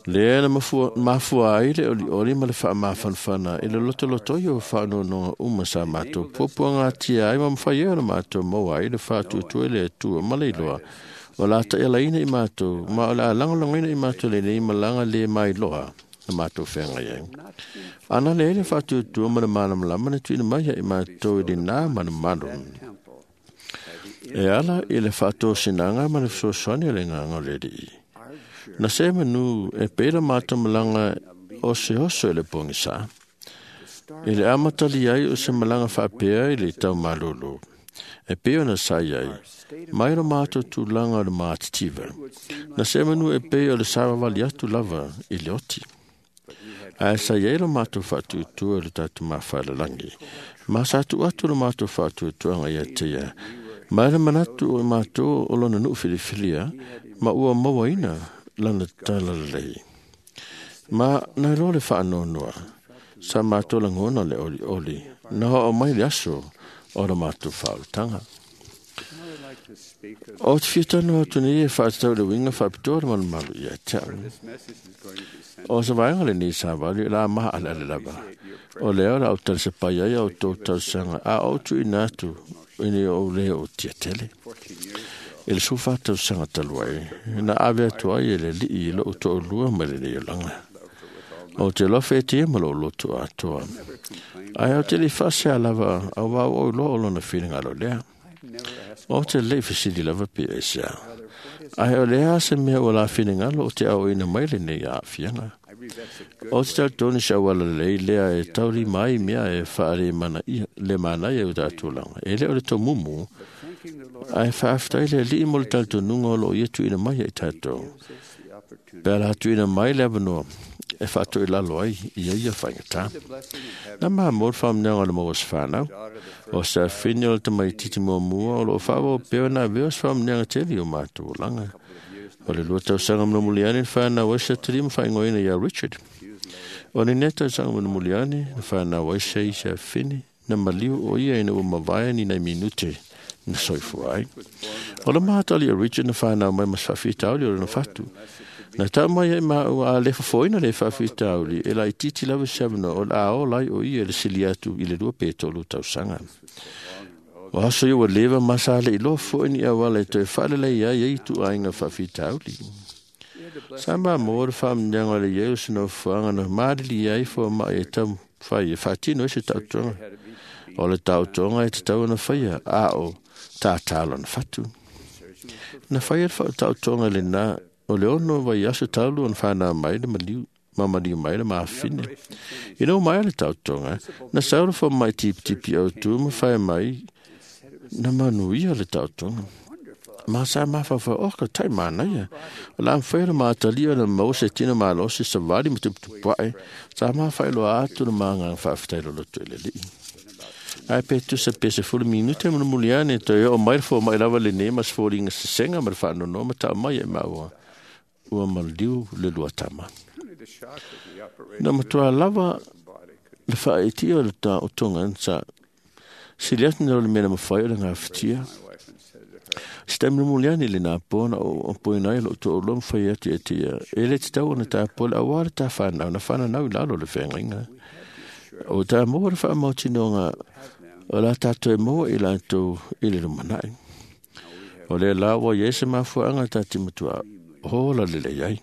Lea na mafua ai le olioli ma le faamafanafana i le lotolotoi o faanonoga uma sa matou puapuagatia ai ma mafai ai ona matou maua ai le faatuatua i le Atua ma le iloa o la ta'ialaina i matou ma o le a lagolagoina i matou lenei malaga le mailoa na matou feagai ai. Ana le ai le faatuatua ma le malamalama na tuuina mai ai matou i lenā malumalu. E ala i le faatosinaga ma le fesoasoani o le agaga o le Alii. Na se manu e pei la matou malaga o se oso i le pogisā. I le amatali ai o se malaga faapea i le taumalolo. E pei ona sa i ai, mai lo matou tulaga o le matitiva. Na se manu e pei o le savavali atu lava i le oti. Ae sa i ai lo matou faatuatua i le tatou mafailalagi. Ma sa tuu atu lo matou faatuatuaga ia te ia. Ma le manatu o matou o lona nuu filifilia, ma ua mauaina lana talalelei. Ma na iloa le faanoanoa, sa matou lagona le olioli, na oo mai le aso o le matou faaolataga. O te fia tanoa atu nei e faatatau i le uiga faapitoa le malumalu ia te au. O se vaega lenei savali o le a maaleale lava. O lea o le a ou talisapai ai a outou tausaga a ou tuuina atu ina ou le o tiatele. I le sefulufa tausaga talu ai, na ave atu ai e le Alii i lou toalua mai lenei olaga. O te alofa e tia ma lou loto atoa. Ae o te le i faasea lava auā ua ou iloa o lona finagalo lea. O te le i fesili lava pe aisea. Ae o le a se mea ua la finagalo o te aoina mai lenei aafiaga. O te talitonu se auala lelei lea e taulima ai mea e faalemanaia i o tatou olaga. E le o le tomumu, ae faafetai le Alii mo le talitonuga o loo ia tuuina mai ai tatou. Pe a la tuuina mai le avanoa e faatoilalo ai ia ia faigata. Na mamoa le faamanuiaga o le maua o se fanau. O se afine o le tamaitiiti muamua o loo faaauau pea ona avea o se faamanuiaga tele i o matou olaga. O le lua tausaga mulimuliani na fanau ai se atalii ma faaigoaina ia Richard. O lenei tausaga mulimuliani na fanau ai se isi afine na maliu o ia ina ua mavae ni nai minute na soifua ai. O le mahatali o Richard na fanau mai ma se faafitauli o lona fatu. Na tau mai ai maua a le fofoina le faafitauli e laitiiti lava se avanoa o le a ola ai o ia i le sili atu i le lua pe tolu tausaga. O aso ia ua leva ma sa le iloa foi ni auala e toe faalelei ai ai ituaiga faafitauli. Sa mamoa le faamanuiaga o le iai o se nofoaga na maliliia ai foamai e taumafai e faatino ai se taotoga. O le taotoga e tatau ona faia a o tātā lona fatu. Na faia le taotoga lenā o le ono vaiaso talu ona fanau mai le maliu ma maliu mai le mafine. Ina ua maea le taotoga, na sau le fomai tipitipi autū ma faia mai na manuia le taotoga. Ma sa mafaufau o ka tai manaia. O le a mafai ona ma atalia ona maua se tino malosi savali ma tuputupuaʻe. Sa mafaailoa atu le magaga faafetai loloto i le Alii. Ae pe tusa pe sefulu minute mulimuli ane toe oo mai le fomaʻi lava lenei ma se foliga sesega ma le faanonoa ma taʻu mai e maua ua maliu le lua tama. Na matuā lava le faaʻitia o le taotoga sa sili atu na o le mea na mafai o le gafatia. Se taimi mulimuli ane i lenā po na opoina ai loʻu toʻalua ma fai atu ia te ia e le tatau ona tapoa le auā le tafanau na fananau i lalo o le feagaiga. O tā maua le faamautinoga o la tatou e maua i latou i le lumanaʻi. O lea la ua iai se mafuaaga ta te matuā ola lelei ai.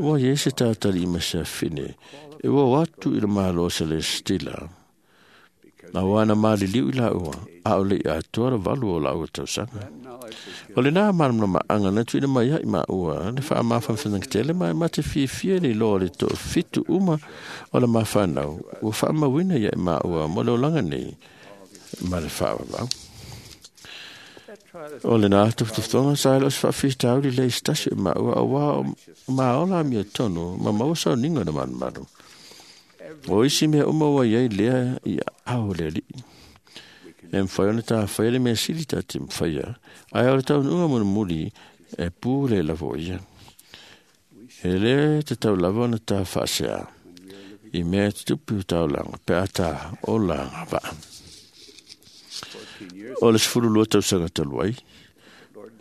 Ua iai se tatalii ma se afine e ua o atu i le Malo Selestila. Auā na maliliu i laua, a o leʻi atoa le valu o laua tausaga. O lenā malamalamaʻaga na tuuina mai ai maua le faamafanafanagatele ma e mate fiafia le iloa o le toʻafitu uma o le mafanau ua faamauina ia i maua mo le olaga nei ma le faavavau. O lenā tufatufoga sa e le o se faafitauli lea i se tasi o maua auā o maola amiotonu ma maua sauniga o le malumalu. O isi mea uma ua iai lea i aao o le Alii. E mafai ona tafaia le mea sili tate mafaia, ae o le taunuuga mulimuli e pu le lava o ia. E lē tatau lava ona ta faasea i mea e tutupu i taulaga pe a ta ola agavaa. O le sefululua tausaga talu ai,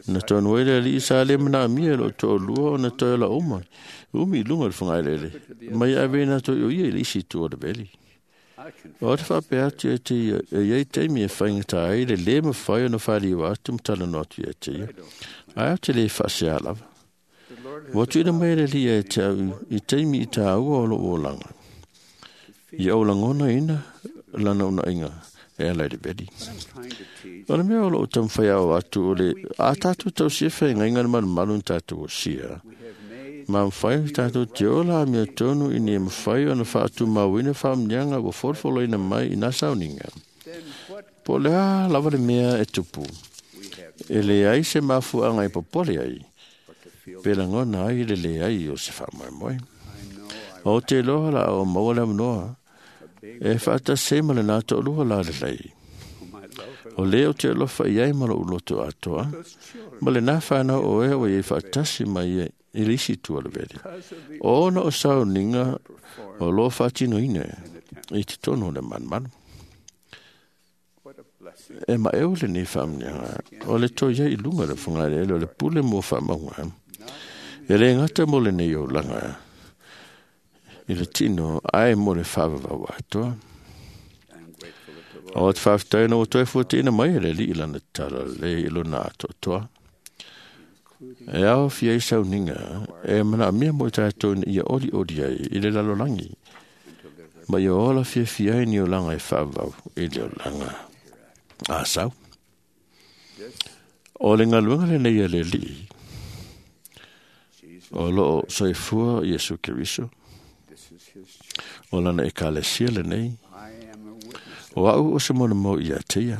na tonu ai le Alii sa le manaomia e loʻu toʻalua ona toe ola uma umi i luga o le fagaeleele mai ave ina toe o ia i le isi itu o le veli. O te faapea atu ia te ia e iai taimi e faigatā ai le lē mafai ona faliu atu ma talanoa atu ia te ia, ae o te lē faaseā lava. Ua tuuina mai e le Alii ia te au i taimi i tāua o loʻu olaga. Ia ou lagonaina lana unaʻiga e ala i le veli. O le mea o loʻu taumafai ao atu o le a tatou tausia feagaiga le malumalu na tatou osia. Ma mafai tatou te ola amiotonu ina ia mafai ona faatumauina faamanuiaga ua folofoloina mai i nā sauniga. Po o le a lava le mea e tupu, e leai se mafuaaga e popole ai, pe lagona ai le leai o se faamoemoe. O te iloa la o maua le avanoa e faatasi ai ma lenā toʻalua lalelei. O lē ou te alofa i ai ma loʻu loto atoa, ma lenā fanau o ea ua iai faatasi mai ia i le isi itu o le veli. Ona o sauniga o lo faatinoina i totonu o le malumalu. E maʻeu lenei faamanuiaga o le toe iai i luga o le fogaeleele o le pule mo faamauga. E lē gata mo lenei olaga i le tino ae mo le faavavau atoa. O te faafetai ona ua toe fuatiina mai e le Alii lana tatalo lelei i lona atoatoa. E aofia ai sauniga e manaomia mo i tatou ina ia olioli ai i le lalolagi, ma ia ola fiafia ai ni olaga e faavavau i le olaga asau. O le galuega lenei a le Alii o loo soifua Iesu Keriso, o lana ekalesia lenei, o aʻu o se molimau ia te ia.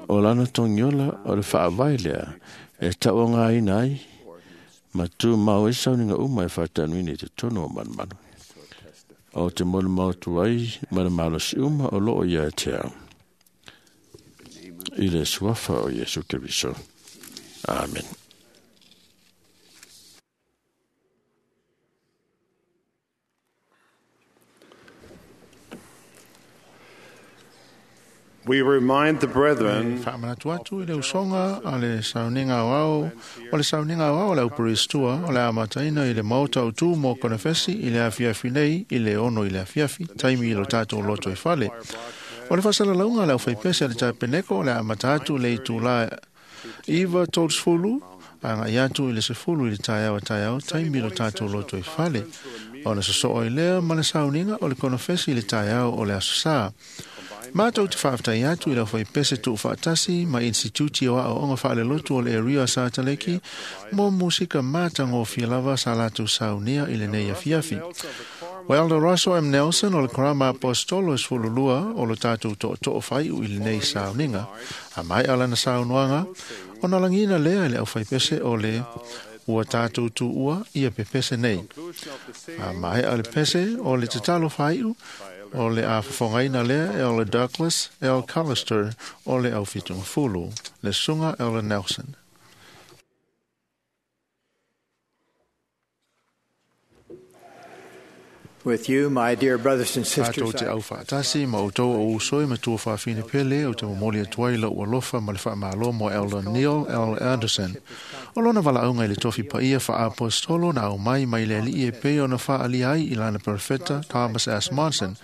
O lana togiola o le faavae lea e taʻuagāina ai ma tumau ai sauniga uma e faatanuina i totonu o malumalu. O te molimau atu ai ma le malosi uma o loo ia te au. I le suafa o Iesu Keriso. Amen. We remind the brethren Faamanatu atu i le usoga a le sauniga aoao o le sauniga aoao o le auperestua o le amataina i le maota o tu mo konefesi i le afiafi nei i le ono i le afiafi taimi i lo tatou loto e fale. O le faasalalauga a le aufaipese a le tapeneko o le amata atu le itulā iva tolu agai atu i le sefulu i le taeao a taeao taimi i lo tatou loto e fale. Ona sosoo ai lea ma le sauniga o le konofesi i le taeao o le aso sā. Mātou te faafetai atu i le aufaipese tuufaatasi ma Instituti o Aoaoga Faalelotu o le Area Sataleki mo musika matagofie lava sa latou saunia i lenei afiafi. O Elder Russell M. Nelson o le Karama Apostolo e sefululua o lo tatou tootoo faaiu i lenei sauniga. A maea lana saunoaga, ona lagiina lea e le aufaipese o le ua tatou tuua ia pepese nei. A maea le pese o le tatalo faaiu o le a fofogaina lea e o le Douglas L. Callister o le aufitugafulu, le susuga Elder Nelson. With you, my dear brothers and sisters, Tatou te aufaatasi ma outou o uso e matua faafine pele o te momoli atu ai lau alofa ma le faamalo mo Elder Neil L. Anderson. O lona valaauga i le tofi paia faaapostolo na aumai mai le alii e pei ona faaalia ai i lana perofeta Thomas S. Monson.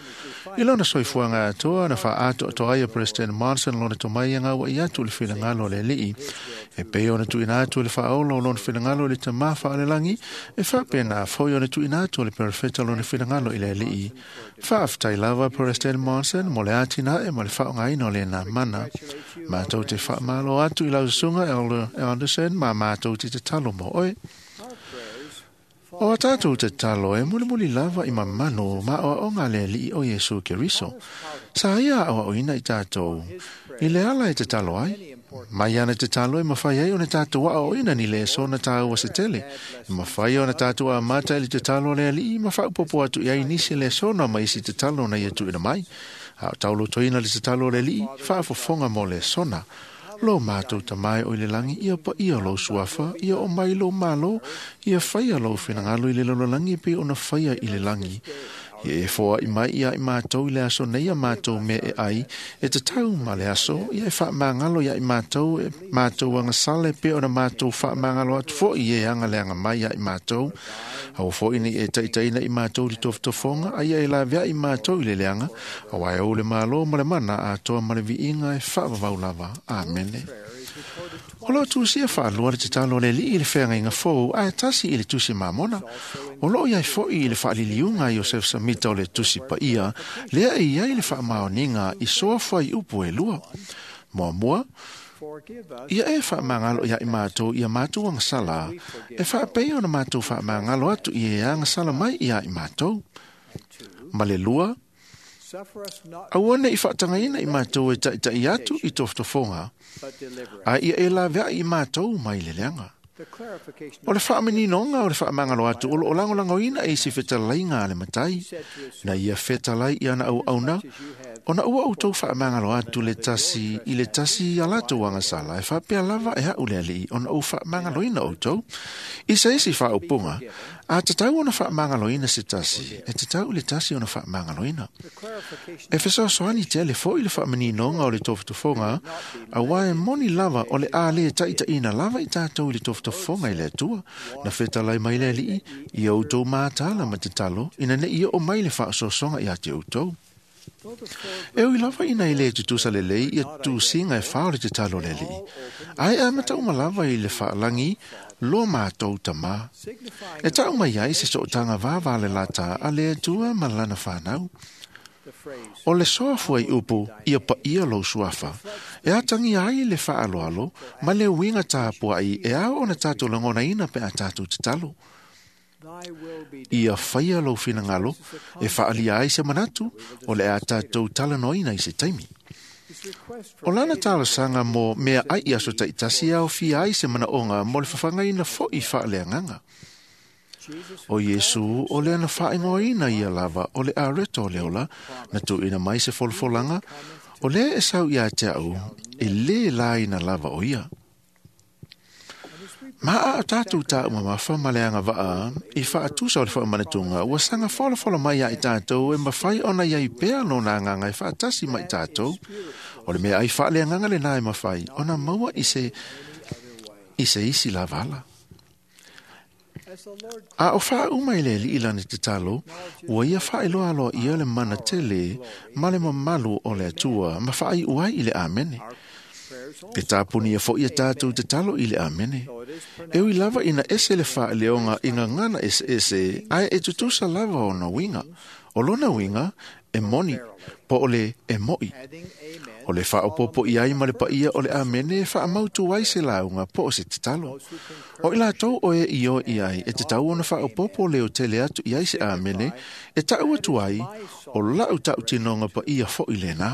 I lona soifuaga atoa na faaatoatoa ai e President Monson lona tomai e gauai atu le finagalo o le alii. E pei ona tuuina atu le faaola o lona finagalo i le tamā faalelagi, e faapena foi ona tuuina atu le perofeta lona finagalo i le alii. Faafetai lava President Monson mo le atinae ma le faaaogaina o lena mana. Matou te faamalo atu i lau susuga Elder Anderson ma matou te tatalo mo oe. O a tatou tatalo e mulimuli lava i mamanu ma oaoga le alii o Iesu Keriso. Sa ia aoaoina i tatou i le ala e tatalo ai. Mai ana tatalo e mawhai ai ona tatou aoaoina ni leso na tāua se tele. E mawhai ona tatou amata i le tatalo le alii ma faapopo atu i ai nisi lesona ma isi tatalo na ia tuuina mai. A o taulotoina le tatalo le alii, faafofoga mo lesona. Lo mātou tamai o i le langi, ia pa ia lou suafa, ia o mai lou malo, ia whaia lou whinangalo i le lololangi pe ona whaia i le langi. Ia e foa i mai ia i mātou i le aso nei a mātou me e ai, e te tau ma le aso, ia e whaamangalo ia i mātou, e mātou anga sale pe ona mātou whaamangalo atu fo i e anga leanga mai ia i mātou. Au fo ini e taitaina i mātou li tofotofonga, a ia e lavea i mātou i le leanga, a wai au le malo ma le mana a toa ma le viinga e whaavavau lava. Amene. O loo tusia whaalua le te talo le lii le wheangaiga fou a e tasi i le tusi mamona. O loo iai foi i le whaaliliunga Iosef Samita o le tusi paia, lea e iai le whaamaoninga i soa whai upu e lua. Mua mua, ia e whaamangalo ia i mātou ia mātou angasala, e whaapei ona mātou whaamangalo atu i e angasala mai ia i mātou. Ma le lua, aua ne i whaatangaina i mātou e taitai atu i tofotofonga, a ia e lavea i mātou mai le leanga. O le whaamaninoga o le whaamangalo atu o loo langolangoina e isi fetalaiga a le matai, na ia fetalai i ana auauna, ona ua outou whaamangalo atu le tasi i le tasi a latou agasala e faapea lava e au le alii ona ou faamagaloina outou. I se isi faaupuga, a tatau ona faamagaloina se tasi, e tatau le tasi ona faamagaloina. E fesoasoani tele foi le faamaninoga o le tofotofoga, auā e moni lava o le a lē taʻitaʻina lava i tatou i le tofotofoga i le Atua, na fetalai mai le alii, ia outou matala ma tatalo, ina neʻi oo mai le faasoasoga iā te outou. E ui lava ina i le tutusa lelei ia tusiga e fā o le tatalo le alii. Ae a matauma lava i le faalagi lo mātou tamā. E tau mai ai se sootaga vava le lata a le Atua ma lana whanau. O le soafua i upu ia paia lou suafa. E atangi ai le faaloalo ma le uiga tapuai e ao ona tatou lagonaina pe a tatou tatalo. Ia faia lou finagalo e faalia ai se manatu o le a tatou talanoaina i se taimi. O lana talosaga mo mea ai i aso taʻitasi e aofia ai se manaoga mo le fafagaina foʻi faaleagaga. O Iesu o le ana faaigoaina ia lava o le areto o le ola na tuuina mai se folafolaga o lea e sau iā te au e lē laina lava o ia. Ma a o tatou taumamafa ma le agavaa i faatusa o le faamanatuga ua saga folafola mai ia i tatou e mafai ona iai pea lona agaga e faatasi ma i tatou. O le mea ai faaleagaga lenā e mafai ona maua i se, i se isi lava ala. A o faauma i le alii lana tatalo, ua ia faailoa ia le mana tele ma le mamalu o le Atua ma faaiu ai i le Amene. E tapunia foi ia tatou tatalo i le Amene. E ui lava ina ese le faaleoga i gagana eseese, ae e tutusa lava ona uiga. O lona uiga e moni po o le e mo'i. O le faaopoopo i ai ma le paia o le amene e faamautu ai se lauga po o se tatalo. O i latou o e ioe i ai e tatau ona faaopoopo leo tele atu i ai se amene e ta'u atu ai o la'u ta'utinoga paia fo'i lenā.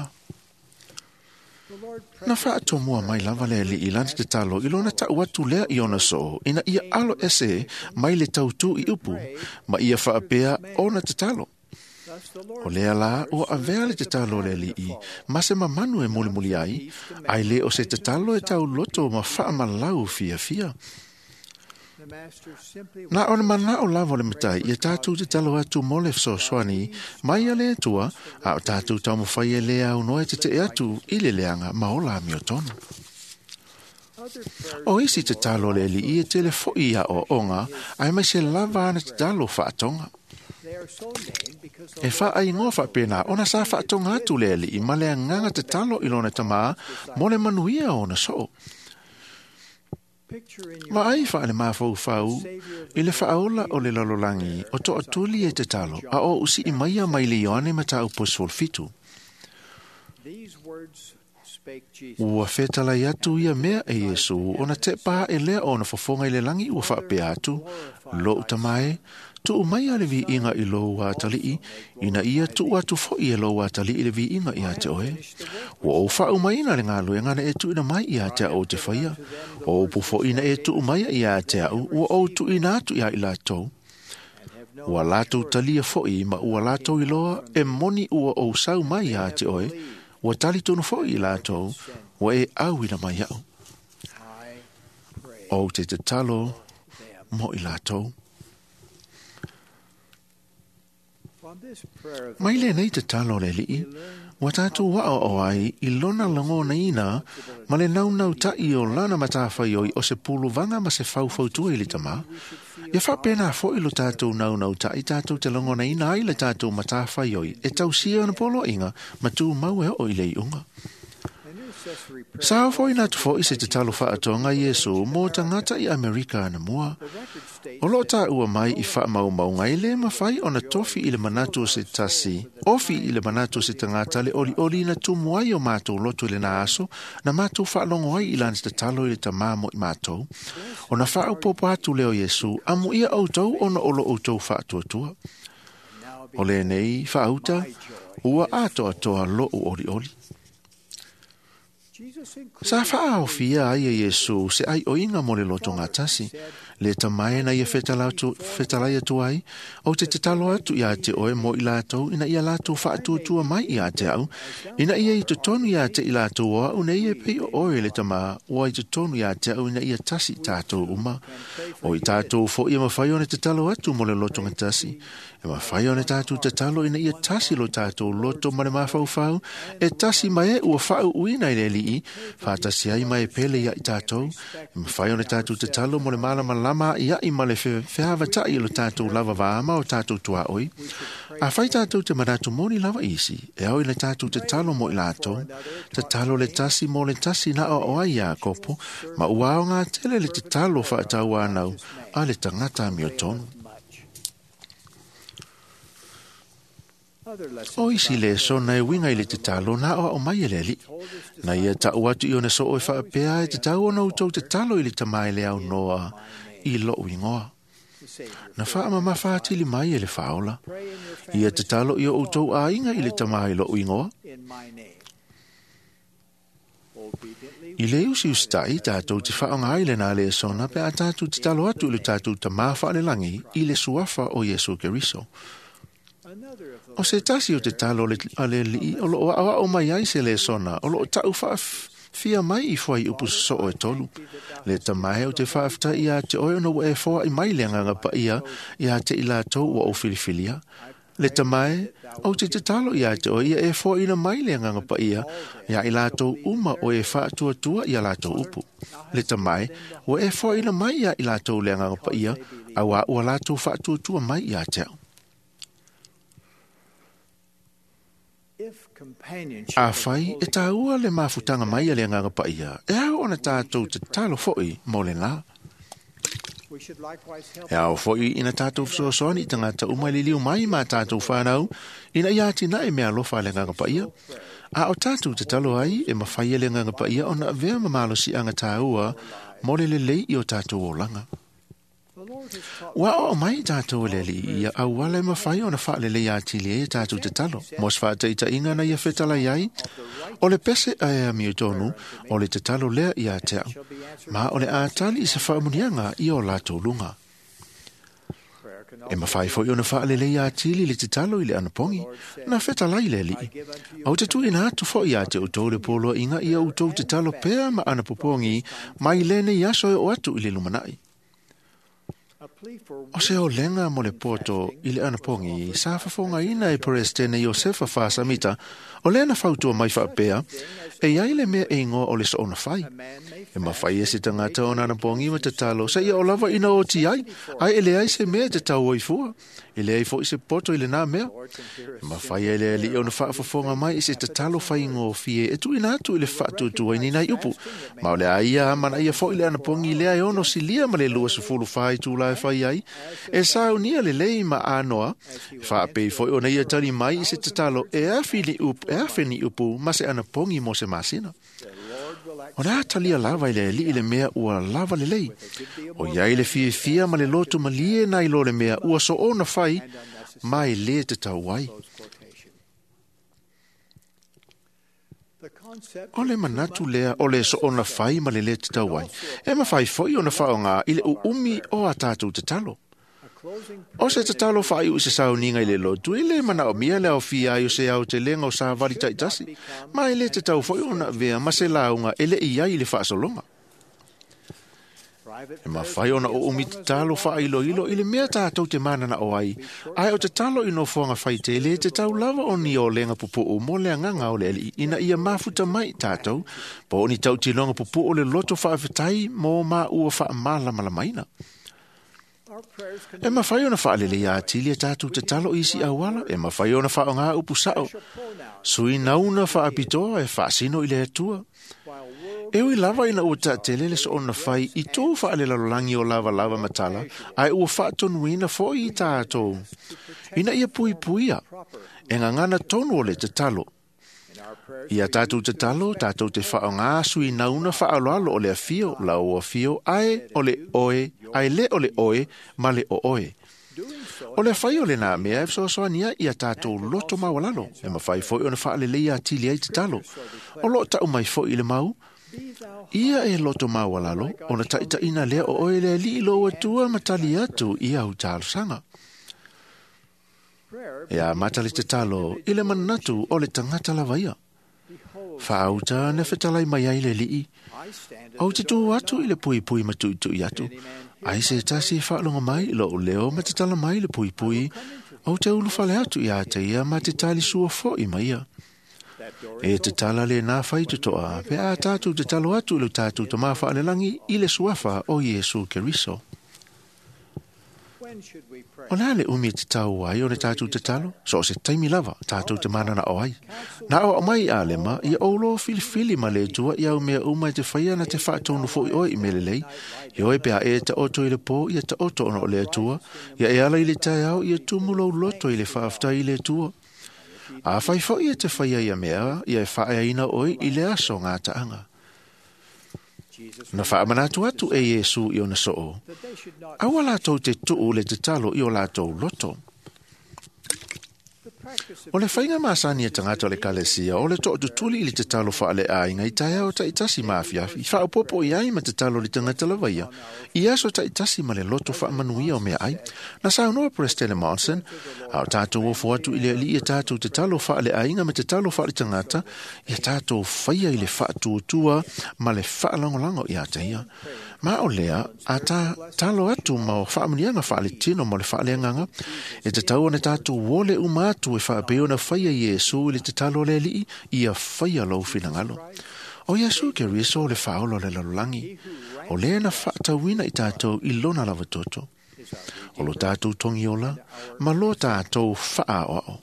Na faatomua mai lava le ali'i lana tatalo i lona ta'u atu lea i ona soo ina ia alo ese mai le tautū i upu ma ia faapea ona tatalo. O lea la ua avea le tatalo le ali'i ma se mamanu e mulimuli ai, ai le o se tatalo e tauloto ma faamalau fiafia. Na o le mana'o lava o le matai ia tatou tatalo atu mo le fesoasoani mai a le Atua, a o tatou taumafai e lē aunoa e tete'e atu i le leaga ma ola amiotonu. O isi tatalo a le ali'i e tele fo'i aʻoaʻoga aemaise lava ana tatalo faatoga. E faaigoa faapena ona sa faatoga atu le ali'i ma le agaga tatalo i lona tamā mo le manuia o ona soo. Vaai faale-mafaufau i le faaola o le lalolagi o toatuli e tatalo a o usi'i maia mai le Ioane Mataupu sefulufitu. Ua fetalai atu ia mea e Iesu ona tepa aʻe lea o ona fofoga i le lagi ua faapea atu, Lo'u tamā e, tuu mai a le viiga i lou atali'i, ina ia tuu atu fo'i e lou atali'i le viiga ia te oe. Ua ou faaumaina le galuega na e tuuina mai ia te a'u ou te faia. O upu fo'i na e tuu mai ia te a'u, ua ou tuuina atu ia i latou. Ua latou talia fo'i ma ua latou iloa e moni ua ou sau mai ia te oe, ua talitonu fo'i i latou, ua e auina mai a'u. Ou te tatalo mo i latou. Mai lenei tatalo le ali'i, ua tatou a'oa'o ai i lona lagonaina ma le naunauta'i o lana matafaioi o se puluvaga ma se faufautua i le tamā. Ia faapena fo'i lo tatou naunauta'i tatou te lagonaina ai le tatou matafaioi e tausia ona poloaiga ma tumau e oo i le iuga. Sa ofoina atu fo'i se tatalo faatoga Iesu mo tagata i Amerika anamua. O loo taua mai i faamaumauga e lē mafai ona tofi i le manatu o se tasi, ofi i le manatu o se tagata le olioli na tumu ai o matou loto i lenā aso, na matou faalogo ai i lana tatalo i le tamā mo i matou. Ona faaopoopo atu lea o Iesu, amuia outou ona o lo outou faatuatua. O lenei faauta, ua atoatoa lo'u olioli. Sa faaofia ai e Iesu se aioiga mo le lotogatasi, le tamae na ia fetalai atu ai, ou te tatalo atu iā te oe mo i latou ina ia latou faatuatua mai iā te a'u, ina ia i totonu iā te i latou o a'u nei e pei o oe le tamā, ua i totonu iā te a'u ina ia tasi i tatou uma. O i tatou fo'i e mafai ona tatalo atu mo le lotogatasi, e mafai ona tatou tatalo ina ia tasi lo tatou loto ma le mafaufau, e tasi ma e ua faauuina i le ali'i, faatasi ai ma e pele ia i tatou, e mafai ona tatou tatalo mo le malamalama a'ia'i ma le feavata'i o lo tatou lava vaama o tatou tuaʻoi. Afai tatou te manatu moni lava isi, e ao i le tatou tatalo mo i latou, tatalo le tasi mo le tasi na aoao ai Iakopo, ma ua aogā tele le tatalo faatauanau a le tagata amiotonu. O isi lesona e uiga i le tatalo na aoao mai e le ali'i. Na ia ta'u atu i ona soo e faapea e tatau ona outou tatalo i le tamā e le aunoa i lo'u igoa. Na faamamafa atili mai e le faaola. Ia tatalo i o outou aiga i le tamā i lo'u igoa. I le usiusita'i tatou te faaaoga ai lenā lesona pe a tatou tatalo atu i le tatou tamā faalelagi i le suafa o Iesu Keriso. O se tasi o tatalo a le ali'i o loo aʻoaʻo mai ai se lesona o loo ta'u faafia mai i fuaiupu sosoo e tolu. Le tamae o te faafeta'i iā te oe ona ua e foa'i mai le agaga paia iā te i latou ua ou filifilia. Le tamae, ou te tatalo iā te oe ia e foaʻina mai le agaga paia iā i latou uma o e faatuatua ia latou upu. Le tamae, ua e foaʻina mai iā i latou le agaga paia, auā ua latou faatuatua mai iā te a'u. Afai e tāua le mafutaga mai a le agaga paia, e ao ona tatou tatalo fo'i mo lenā. E ao foi ina tātou fesoasoani i tagata uma i liliu mai ma tātou whānau, ina ia atinae mea alofa a le Agaga Paia. A o tātou tatalo ai e mawhai e le Agaga Paia ona avea ma malosiaga tāua mo le lelei i o tātou olaga. Ua oo mai tātou e le Alii ia auala e mawhai ona whaalelei atili ai e tātou tatalo. Mo se whaataitaiga na ia fetalai ai, o le pese ae a miutonu, o le tatalo lea ia te au, ma o le ātali i se whaamunianga i o lātou lunga. E mawhai foi ona whaalelei atili le tatalo i le anapongi, na fetalai le Alii. Au te tuina atu foi ia te outou le poloa inga ia outou tatalo pea ma anapopongi, mai lenei aso e o atu i le lumanai. O se olenga mo le poto i le anapongi, sa fafogaina e Peresetene Iosefa Faasamita, o lea na fautua mai faapea, e iai le mea e igoa o le soona fai. E mawhai e se tagata ona anapongi ma tatalo, sa ia o lava ina o ti ai, ai e leai se mea e te tau ai fua, e leai foi se poto i lenā mea. E mawhai e le Alii ona faafofoga mai i se tatalo faigofie e tuuina atu i le faatuatuaina i nai upu. Ma o le a ia amanaia foi le anapongi lea e ono silia ma le lua sefulu fa itula e fai ai, e saunia lelei ma anoa, e faapei foi ona ia tali mai i se tatalo e afi ni upu, e afe ni upu ma se anapongi mo se masina. O le a talia lava i le Alii le mea ua lava lelei. O iai le fiafia ma le loto malie nai lo le mea ua soona fai, ma e le tatau ai. O le manatu lea o le soona fai ma le le tatau ai. E mawhai foi ona whaonga i le uumi o a tātou tatalo. O se tatalo whaiu i se sauniga i le lotu, i le manaomia le aofia ai o se au te lenga o sa vali taitasi, ma e le tatau foi ona avea ma se launga e le i ai i le faasologa. E mawhai ona o umi tatalo whaailoilo i le mea tātou te manana o ai, ae o tatalo i nofoanga whaitele te tau lava o ni o lenga pupuu mo le anganga o le Alii ina ia mafuta mai tātou, po o ni tautilonga pupuu o le loto whaafetai mo ma ua whaamalamalamaina. E mawhai ona whaalelei atili e tātou tatalo i isi auala, e mawhai ona whaonga upu sao, sui nauna whaapitoa e whaasino i le Atua. E ui lava ina ua taatele le soona fai i tō whaalelalolangi o lava lava matala, ai ua whaatonuina foi i tātou. Ina ia pui puia, e ngangana tonu o le tatalo. Ia tātou tatalo, tātou te whaonga sui nauna whaaloalo o le afio, la o afio, ai o le oe, ai le o le oe, ma le o oe. O le whai o le nā mea e fesoasoani ai ia tātou loto maualalo, e mawhai foi ona whaalelei atili ai tatalo. O lo tau mai foi i le mau, ia e loto maualalo, ona taitaina lea o oe le Alii lo atua matali atu i au talosaga. E a mata le tatalo i le manatu o le tagata lava ia. Whaauta na fetalai mai ai le Alii. Au te tū atu i le puipui ma tuitui atu. Ai se tasi e whaalonga mai lo o leo ma te tala mai le puipui. Au te ulufale atu i a te ia ma te tali sua foi mai ia. E te tala le nā whai tutoa, pe a tātou te talo atu i le tātou te mawhaalelangi i le suafa o Iesu Keriso. O le a le umi te tau ai o le tātou te talo, so o se taimi lava, tātou te manana o ai. Nā o mai a lema, ia oulo filifili ma le atua i au mea uma i te whaia na te whaatonu foi oe i melelei. I oe pea e ta oto i le pō, ia ta oto ona o le atua, ia e ala i le taiao, ia tumulo loto i le whaaftai i le atua. A whai foi e te whaia ia mea, ia e whaeaina oe i le aso ngā taanga. Na whaamanatu atu e Iesu i ona soo. Aua lātou te tuu le tatalo i o lātou loto. O le whainga maasani e tagata o le kalesia, o le tootutuli i le tatalo whaale ainga i taea o taitasi maafiafi, whaopopo i ai ma tatalo le tagata lava ia, i aso taitasi ma le loto whaamanuia o mea ai. Na saunoa President Monson, a o tātou ofo atu i le alii e tātou tatalo whaale ainga ma tatalo whaale tagata, ia tātou whaia i le whaatuatua ma le whaalangolango i a teia. Ma o lea, a tā talo atu ma o whaamunianga whaale tino ma le whaaleanganga, e te tau ana tātou wole uma atu e whaapeo na whaia Iesu i le te talo le alii, ia whaia lou finangalo. O Iesu ke riso o le whaolo le lalolagi, o lea na whaatauina i tātou i lona lava toto. O lo tātou tongiola, ma lo tātou whaaoao.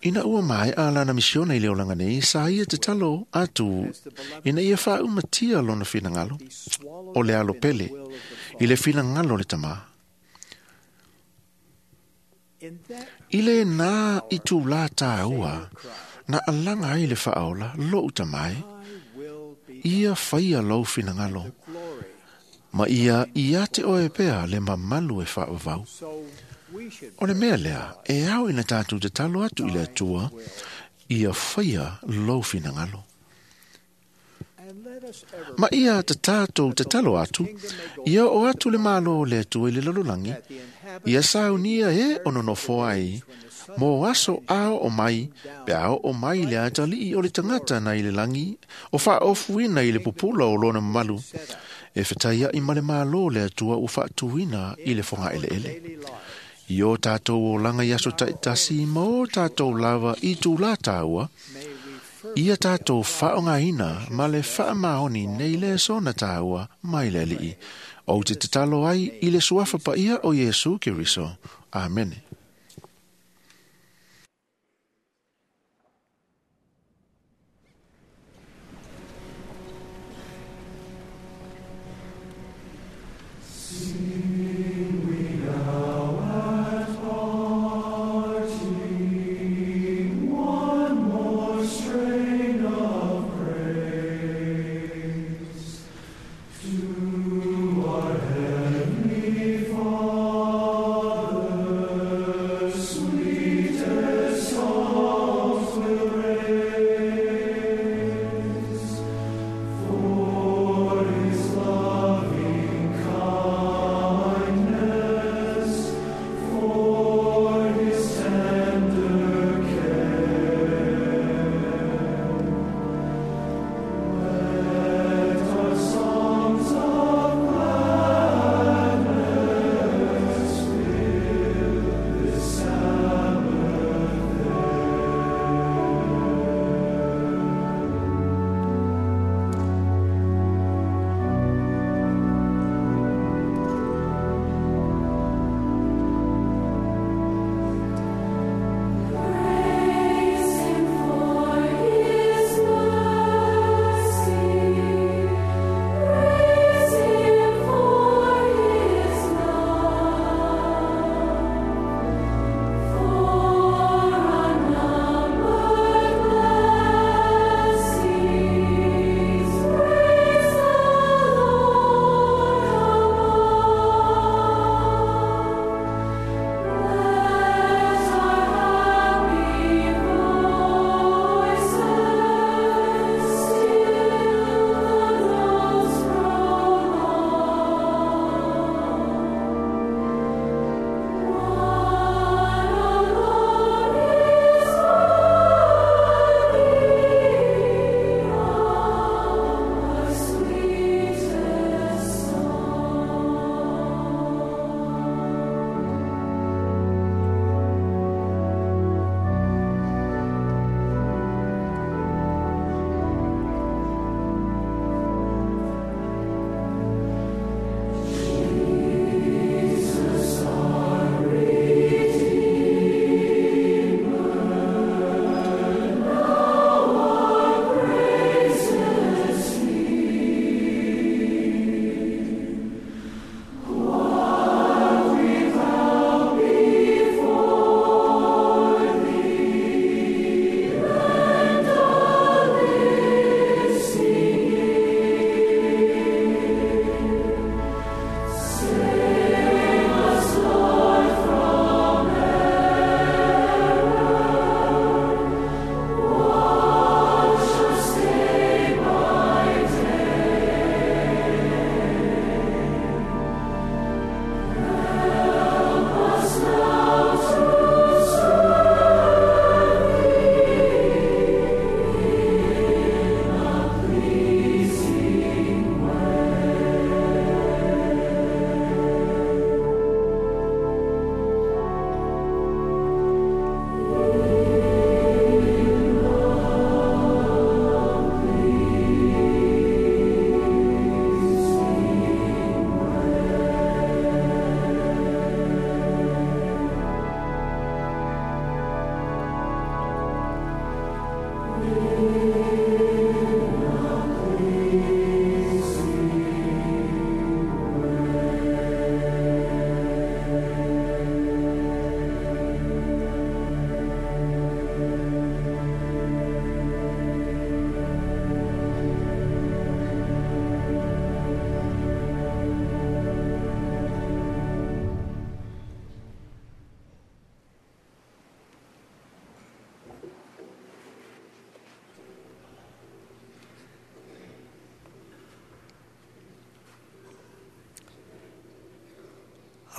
Ina ua mai a lana misiona i le olaga nei, sa ia tatalo atu ina ia faaumatia lona finagalo o le alo pele i le finagalo o le Tamā. I le nā i tūlā tāua, na alaga ai le faaola lou Tamā e, ia faia lou finagalo, ma ia ia te oe pea le mamalu e faavavau. O le mea lea, e ao ina tātou tatalo atu i le Atua, ia faia lou finagalo. Ma ia te tātou tatalo atu, ia o atu le malo o le Atua i le lalolagi, ia saunia e o nonofo ai, mō aso ao o mai, pe ao o mai le atalii o le tangata na i le langi, o whaofuina i le pupula o lona mamalu, e whataia i male malo le Atua u whaatuina i le whanga ele ele. I o tātou o langa i aso taitasi ma o tātou lava i tū la tāua, ia tātou whaongaina ma le whaamaoni nei le sona tāua mai le alii. O te tatalo ai i le suafa paia o Iesu Keriso. Amene. To our heavenly Father,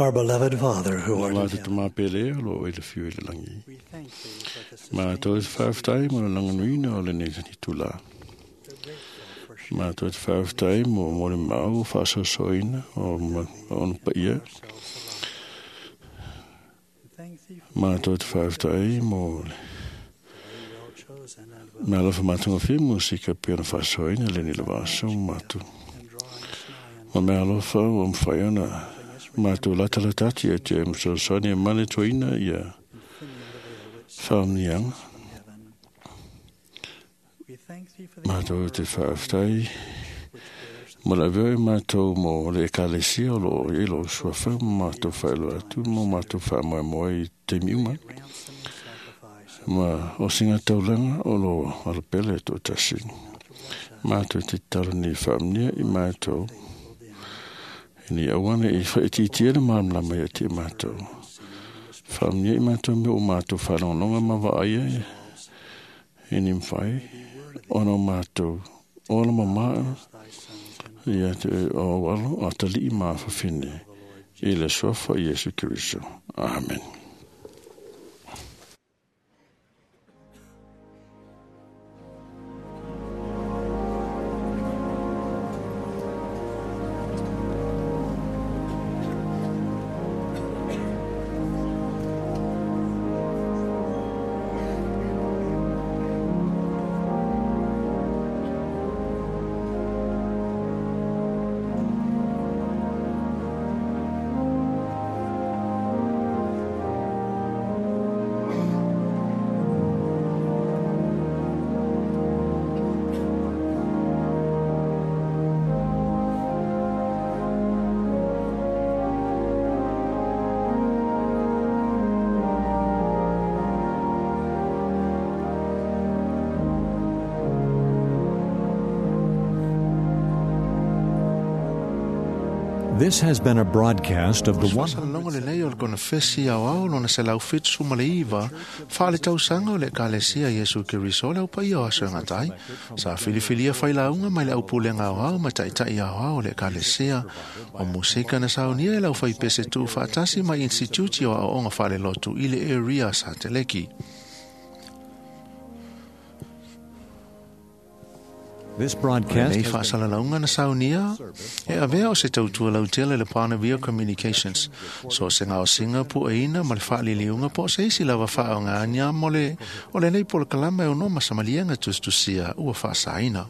Our beloved Father who art in heaven. Mātou te whaaftai mo le langanuina o le nei tula. Mātou te whaaftai mo mo le mau whaasosoina o ona paia. Mātou te whaaftai mo le mea alofa mātagofie musika pei ona faasoaina le nei lava aso ma mātou. Ma mea alofa ua mafai ona mātou latalata atu ia te masoasoani e manetoina ia faamanuiaga. Mātou te faafetai mo le avea e mātou mo le ekalesia o loo i lo suafa ma mātou faailoa atu mo mātou faamoemoe i taimi uma. Ma o singa taulaga o loo alapele e toatasi. Mātou te tatalo nei faamanuia i mātou. Ni aua ne i whaititia le malamalama ia te mātou. Faamanuia i mātou me o mātou whalongonga ma vaaia e ni mwhai ona o mātou ola mamaa ia te o alo a talii maa whawhine i le suafa Iesu Keriso. Amen. This has been a broadcast of the one. Longo le nei o le konefesi au au lona se lau fitu ma le iva whaale tausaga o le ekalesia Iesu Keriso le au paia o aso e gatai sa filifilia failauga mai le aupulega aoao ma taʻitaʻi aoao o le ekalesia o musika na saunia e le aufaipese tuufaatasi mai instituti o aoaoga faalelotu i le area Sateleki. This broadcast Nei faasalalauga na saunia e avea o se tautua lautele le Panavia Communications so se gaosiga pueina ma le faaliliuga po o se isi lava faaogānia mo le o lenei polokalama e ono masamaliaga tusitusia ua faasaina.